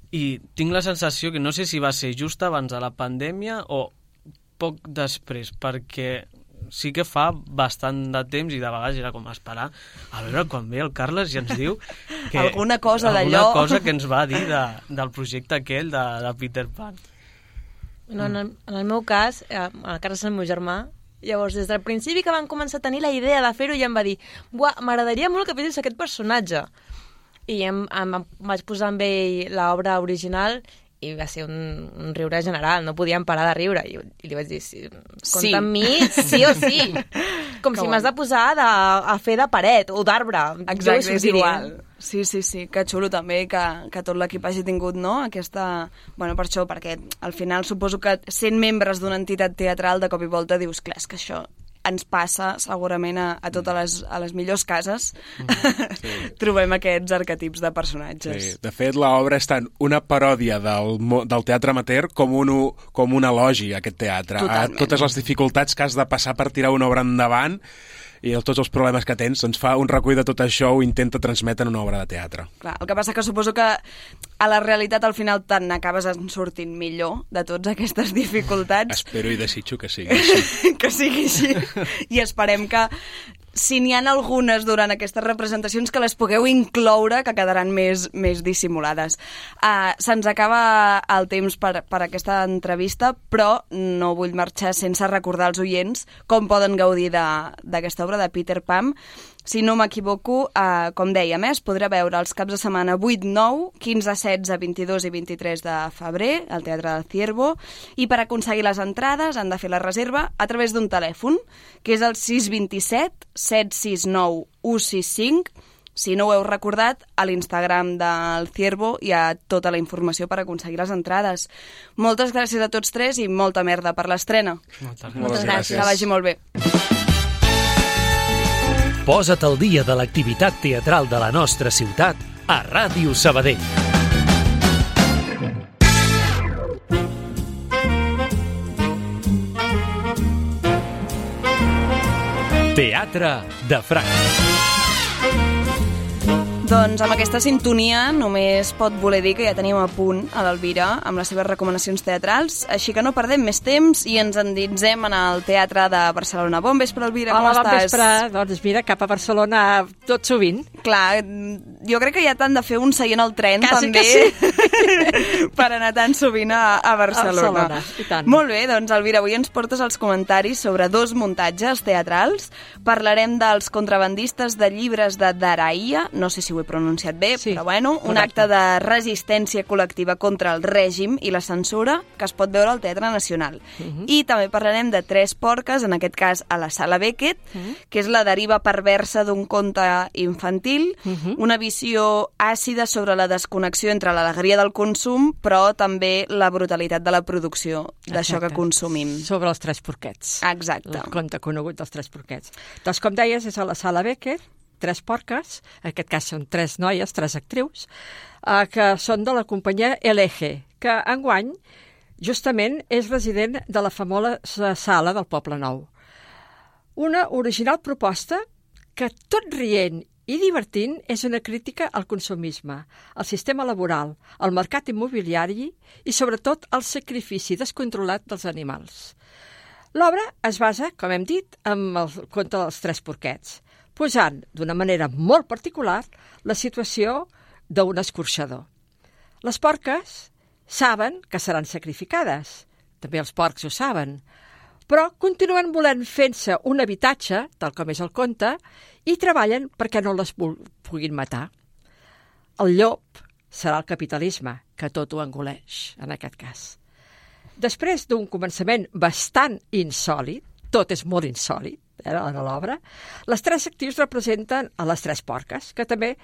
i tinc la sensació que no sé si va ser just abans de la pandèmia o poc després, perquè sí que fa bastant de temps i de vegades era com esperar a veure quan ve el Carles i ens diu que alguna cosa d'allò, alguna cosa que ens va dir de, del projecte aquell de, de Peter Pan. No, en, el, en el meu cas, el Carles és el meu germà. Llavors, des del principi que van començar a tenir la idea de fer-ho, ja em va dir, m'agradaria molt que fessis aquest personatge. I em, em, em vaig posar amb ell l'obra original i va ser un, un riure general, no podíem parar de riure. I, i li vaig dir, sí, compta sí. amb mi, sí o sí. Com que si m'has de posar de, a fer de paret o d'arbre. Exacte, és igual. Sí, sí, sí, que xulo també que, que tot l'equip hagi tingut, no?, aquesta... Bueno, per això, perquè al final suposo que sent membres d'una entitat teatral de cop i volta dius, clar, és que això ens passa segurament a, a totes les, a les millors cases, mm, sí. trobem aquests arquetips de personatges. Sí. De fet, l'obra és tant una paròdia del, del teatre amateur com un, com un elogi a aquest teatre. Totalment. A totes les dificultats que has de passar per tirar una obra endavant i tots els problemes que tens, doncs fa un recull de tot això, ho intenta transmetre en una obra de teatre. Clar, el que passa que suposo que a la realitat al final te'n acabes sortint millor de totes aquestes dificultats. Espero i desitjo que sigui així. Que sigui així. I esperem que si n'hi ha algunes durant aquestes representacions que les pugueu incloure, que quedaran més, més dissimulades. Uh, se'ns acaba el temps per, per aquesta entrevista, però no vull marxar sense recordar als oients com poden gaudir d'aquesta obra de Peter Pan. Si no m'equivoco, eh, com dèiem, eh, es podrà veure els caps de setmana vuit, nou, quinze, setze, vint-i-dos i vint-i-tres de febrer al Teatre del Ciervo, i per aconseguir les entrades han de fer la reserva a través d'un telèfon, que és el sis dos set, set sis nou, u sis cinc. Si no ho heu recordat, a l'Instagram del Ciervo hi ha tota la informació per aconseguir les entrades. Moltes gràcies a tots tres i molta merda per l'estrena. Moltes, Moltes gràcies. gràcies. Que vagi molt bé. Posa't al dia de l'activitat teatral de la nostra ciutat a Ràdio Sabadell. Teatre de Franc. Doncs amb aquesta sintonia només pot voler dir que ja tenim a punt a l'Elvira amb les seves recomanacions teatrals, així que no perdem més temps i ens endinsem en el Teatre de Barcelona. Bon vespre, Elvira, com Hola, estàs? Hola, bon vespre. Doncs mira, cap a Barcelona tot sovint. Clar, jo crec que ja t'han de fer un seient al tren, Quasi també, sí. per anar tan sovint a, a Barcelona. A Barcelona, i tant. Molt bé, doncs, Elvira, avui ens portes els comentaris sobre dos muntatges teatrals. Parlarem dels contrabandistes de llibres de Daraia, no sé si ho he pronunciat bé, sí, però bueno, un correcte. Acte de resistència col·lectiva contra el règim i la censura que es pot veure al Teatre Nacional. Uh -huh. I també parlarem de Tres porques, en aquest cas a la Sala Beckett, uh -huh. que és la deriva perversa d'un conte infantil, uh -huh. una visió àcida sobre la desconnexió entre l'alegria del consum, però també la brutalitat de la producció d'això que consumim. Sobre els Tres porquets. Exacte. El conte conegut dels Tres porquets. Doncs, com deies, és a la Sala Beckett, Tres porques, en aquest cas són tres noies, tres actrius, eh, que són de la companyia L G, que enguany justament és resident de la famosa sala del Poble Nou. Una original proposta que, tot rient i divertint, és una crítica al consumisme, al sistema laboral, al mercat immobiliari i, sobretot, al sacrifici descontrolat dels animals. L'obra es basa, com hem dit, en el conte dels Tres porquets, posant d'una manera molt particular la situació d'un escorxador. Les porques saben que seran sacrificades, també els porcs ho saben, però continuen volent fer-se un habitatge, tal com és el conte, i treballen perquè no les puguin matar. El llop serà el capitalisme, que tot ho engoleix, en aquest cas. Després d'un començament bastant insòlit, tot és molt insòlit, a l'obra, les tres actrius representen a les tres porques, que també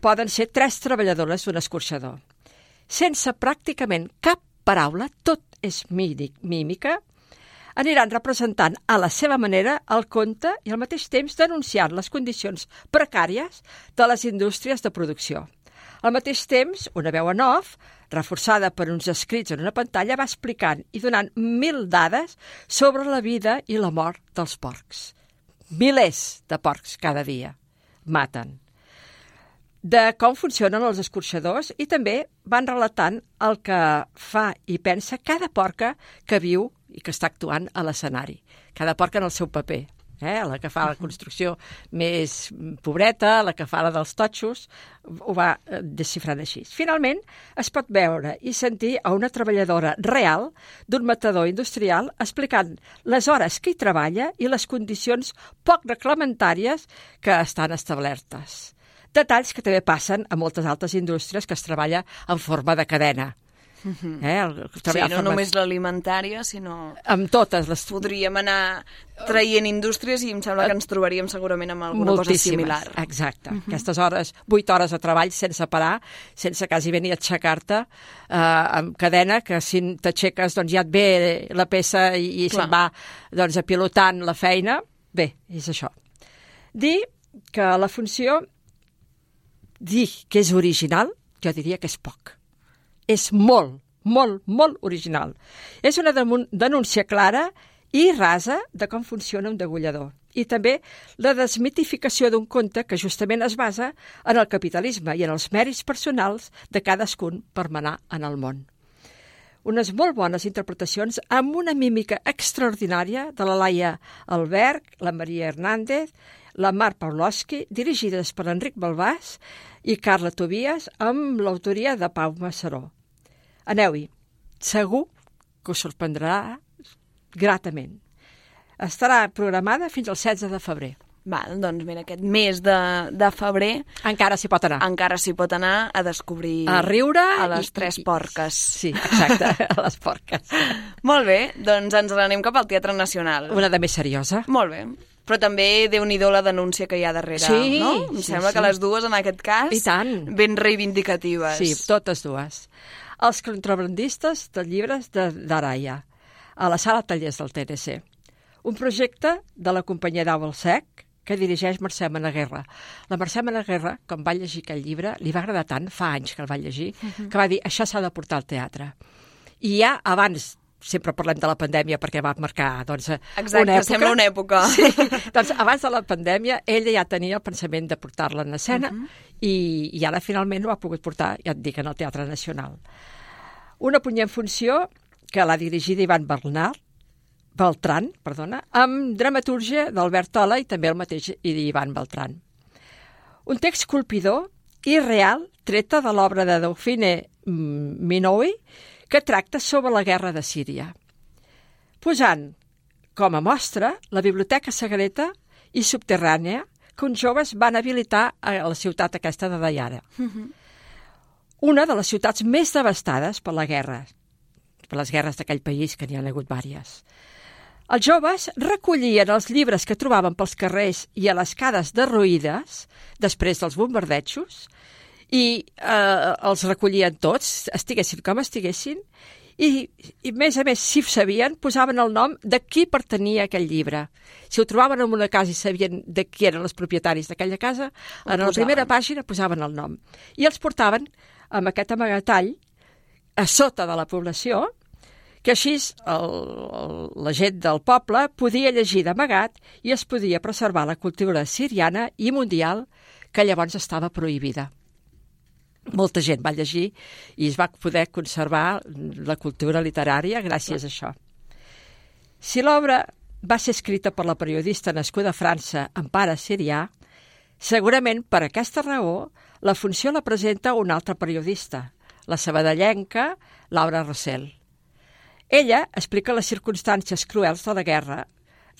poden ser tres treballadores d'un escorxador. Sense pràcticament cap paraula, tot és mímica, aniran representant a la seva manera el conte i al mateix temps denunciant les condicions precàries de les indústries de producció. Al mateix temps, una veu en off, reforçada per uns escrits en una pantalla, va explicant i donant mil dades sobre la vida i la mort dels porcs. Milers de porcs cada dia maten. De com funcionen els escorxadors i també van relatant el que fa i pensa cada porca que viu i que està actuant a l'escenari. Cada porca en el seu paper. Eh? La que fa la construcció més pobreta, la que fa la dels totxos, ho va desxifrant així. Finalment, es pot veure i sentir a una treballadora real d'un matador industrial explicant les hores que hi treballa i les condicions poc reglamentàries que estan establertes. Detalls que també passen a moltes altres indústries que es treballa en forma de cadena. Uh-huh. Eh? El, sí, no forma... només l'alimentària, sinó... Amb totes les... Podríem anar traient indústries i em sembla que ens trobaríem segurament amb alguna Moltíssimes. Cosa similar. Exacte. Uh-huh. Aquestes hores, vuit hores de treball sense parar, sense quasi venir a aixecar-te, eh, amb cadena, que si t'aixeques doncs ja et ve la peça i, i se'n va doncs, apilotant la feina. bé, és això. Dir que la funció, dir que és original, jo diria que és poc. És molt, molt, molt original. És una denúncia clara i rasa de com funciona un degollador. I també la desmitificació d'un conte que justament es basa en el capitalisme i en els mèrits personals de cadascun per manar en el món. Unes molt bones interpretacions amb una mímica extraordinària de la Laia Alberg, la Maria Hernández, la Mar Pawlowski, dirigides per Enric Balbàs i Carla Tobias, amb l'autoria de Pau Massaró. Aneu-hi, segur que us sorprendrà gratament. Estarà programada fins al setze de febrer. Val, doncs mira, aquest mes de, de febrer... Encara s'hi pot anar. Encara s'hi pot anar a descobrir... A riure... A les i, tres i, porques. Sí, exacte, a les porques. Molt bé, doncs ens n'anem cap al Teatre Nacional. Una de més seriosa. Molt bé. Però també, Déu-n'hi-do la denúncia que hi ha darrere, sí, no? Em sí, sembla sí. que les dues, en aquest cas, I tant. ben reivindicatives. Sí, totes dues. Els contrabandistes de llibres d'Araya, a la sala Tallers del T N C. Un projecte de la companyia Dau al Sec, que dirigeix Mercè Menaguerra. La Mercè Menaguerra, quan va llegir aquell llibre, li va agradar tant, fa anys que el va llegir, uh-huh. que va dir, això s'ha de portar al teatre. I ja abans, sempre parlem de la pandèmia perquè va marcar doncs, Exacte, una època. Sembla una època. Sí, doncs abans de la pandèmia ella ja tenia el pensament de portar-la en escena uh-huh. i, i ara finalment ho ha pogut portar, ja et dic, en el Teatre Nacional. Una punyent funció que l'ha dirigida Ivan Bernal, Beltran, perdona, amb dramatúrgia d'Albert Tola i també el mateix Ivan Beltran. Un text colpidor i real treta de l'obra de Dauphine Minoui que tracta sobre la guerra de Síria, posant com a mostra la biblioteca secreta i subterrània que uns joves van habilitar a la ciutat aquesta de Dayara. Uh-huh. Una de les ciutats més devastades per la guerra, per les guerres d'aquell país, que n'hi ha hagut vàries. Els joves recollien els llibres que trobaven pels carrers i a les cades derruïdes, després dels bombardejos, i eh, els recollien tots, estiguessin com estiguessin, i, i més a més, si ho sabien, posaven el nom de qui pertanyia aquell llibre. Si ho trobaven en una casa i sabien de qui eren els propietaris d'aquella casa, en la primera pàgina posaven el nom. I els portaven amb aquest amagatall a sota de la població, que així el, el, la gent del poble podia llegir d'amagat i es podia preservar la cultura siriana i mundial que llavors estava prohibida. Molta gent va llegir i es va poder conservar la cultura literària gràcies a això. Si l'obra va ser escrita per la periodista nascuda a França, Empara Sirià, segurament per aquesta raó la funció la presenta una altra periodista, la sabadellenca Laura Rossell. Ella explica les circumstàncies cruels de la guerra,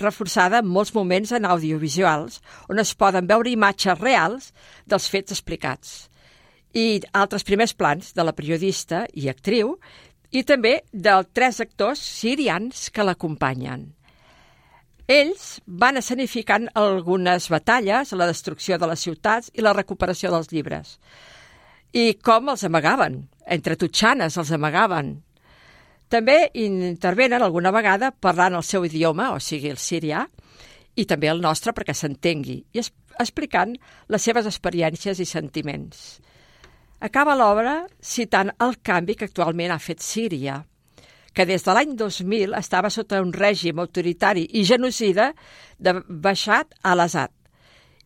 reforçada en molts moments en audiovisuals, on es poden veure imatges reals dels fets explicats, i altres primers plans de la periodista i actriu, i també dels tres actors sirians que l'acompanyen. Ells van escenificant algunes batalles, la destrucció de les ciutats i la recuperació dels llibres. I com els amagaven, entre tutxanes els amagaven. També intervenen alguna vegada parlant el seu idioma, o sigui, el sirià, i també el nostre perquè s'entengui, i explicant les seves experiències i sentiments. Acaba l'obra citant el canvi que actualment ha fet Síria, que des de l'any dos mil estava sota un règim autoritari i genocida de Bashar al-Assad,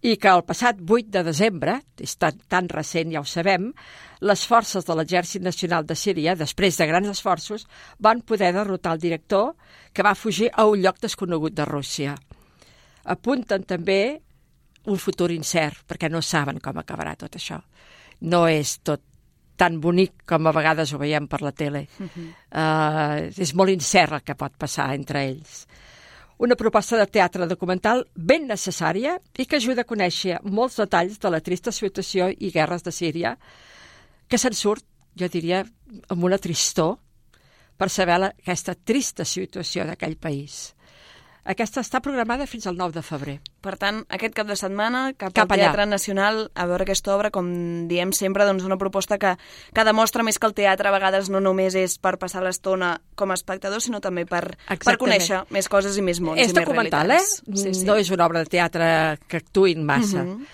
i que el passat vuit de desembre, és tan, tan recent, ja ho sabem, les forces de l'Exèrcit Nacional de Síria, després de grans esforços, van poder derrotar el director que va fugir a un lloc desconegut de Rússia. Apunten també un futur incert, perquè no saben com acabarà tot això. No és tot tan bonic com a vegades ho veiem per la tele. Uh-huh. uh, és molt incert el que pot passar entre ells. Una proposta de teatre documental ben necessària i que ajuda a conèixer molts detalls de la trista situació i guerres de Síria, que se'n surt, jo diria, amb una tristor per saber la, aquesta trista situació d'aquell país. Aquesta està programada fins al nou de febrer. Per tant, aquest cap de setmana, cap, Cap al allà. Teatre Nacional, a veure aquesta obra, com diem sempre, doncs una proposta que, que demostra més que el teatre a vegades no només és per passar l'estona com a espectador, sinó també per, per conèixer més coses i més mons És i més documental, realitats. eh? Sí, sí. No és una obra de teatre que actuïn massa. Mhm.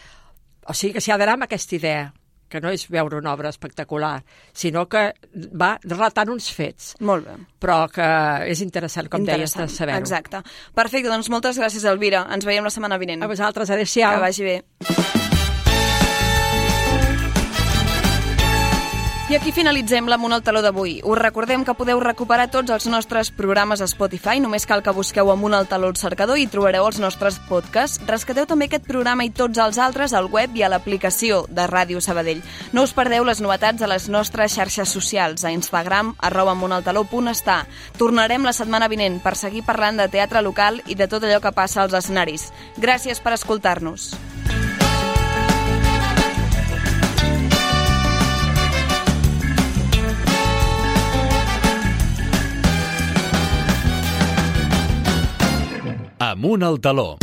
O sigui que s'hi ha d'anar amb aquesta idea, que no és veure una obra espectacular, sinó que va relatant uns fets. Molt bé. Però que és interessant, com deies, de saber-ho. Exacte. Perfecte, doncs moltes gràcies, Elvira. Ens veiem la setmana vinent. A vosaltres, adéu-siau. Que vagi bé. I aquí finalitzem l'Amunt al Taló d'avui. Us recordem que podeu recuperar tots els nostres programes a Spotify. Només cal que busqueu Amunt al Taló al cercador i trobareu els nostres podcasts. Rescateu també aquest programa i tots els altres al web i a l'aplicació de Ràdio Sabadell. No us perdeu les novetats a les nostres xarxes socials, a Instagram, arroba amuntaltaló punt està. Tornarem la setmana vinent per seguir parlant de teatre local i de tot allò que passa als escenaris. Gràcies per escoltar-nos. Amunt al Taló.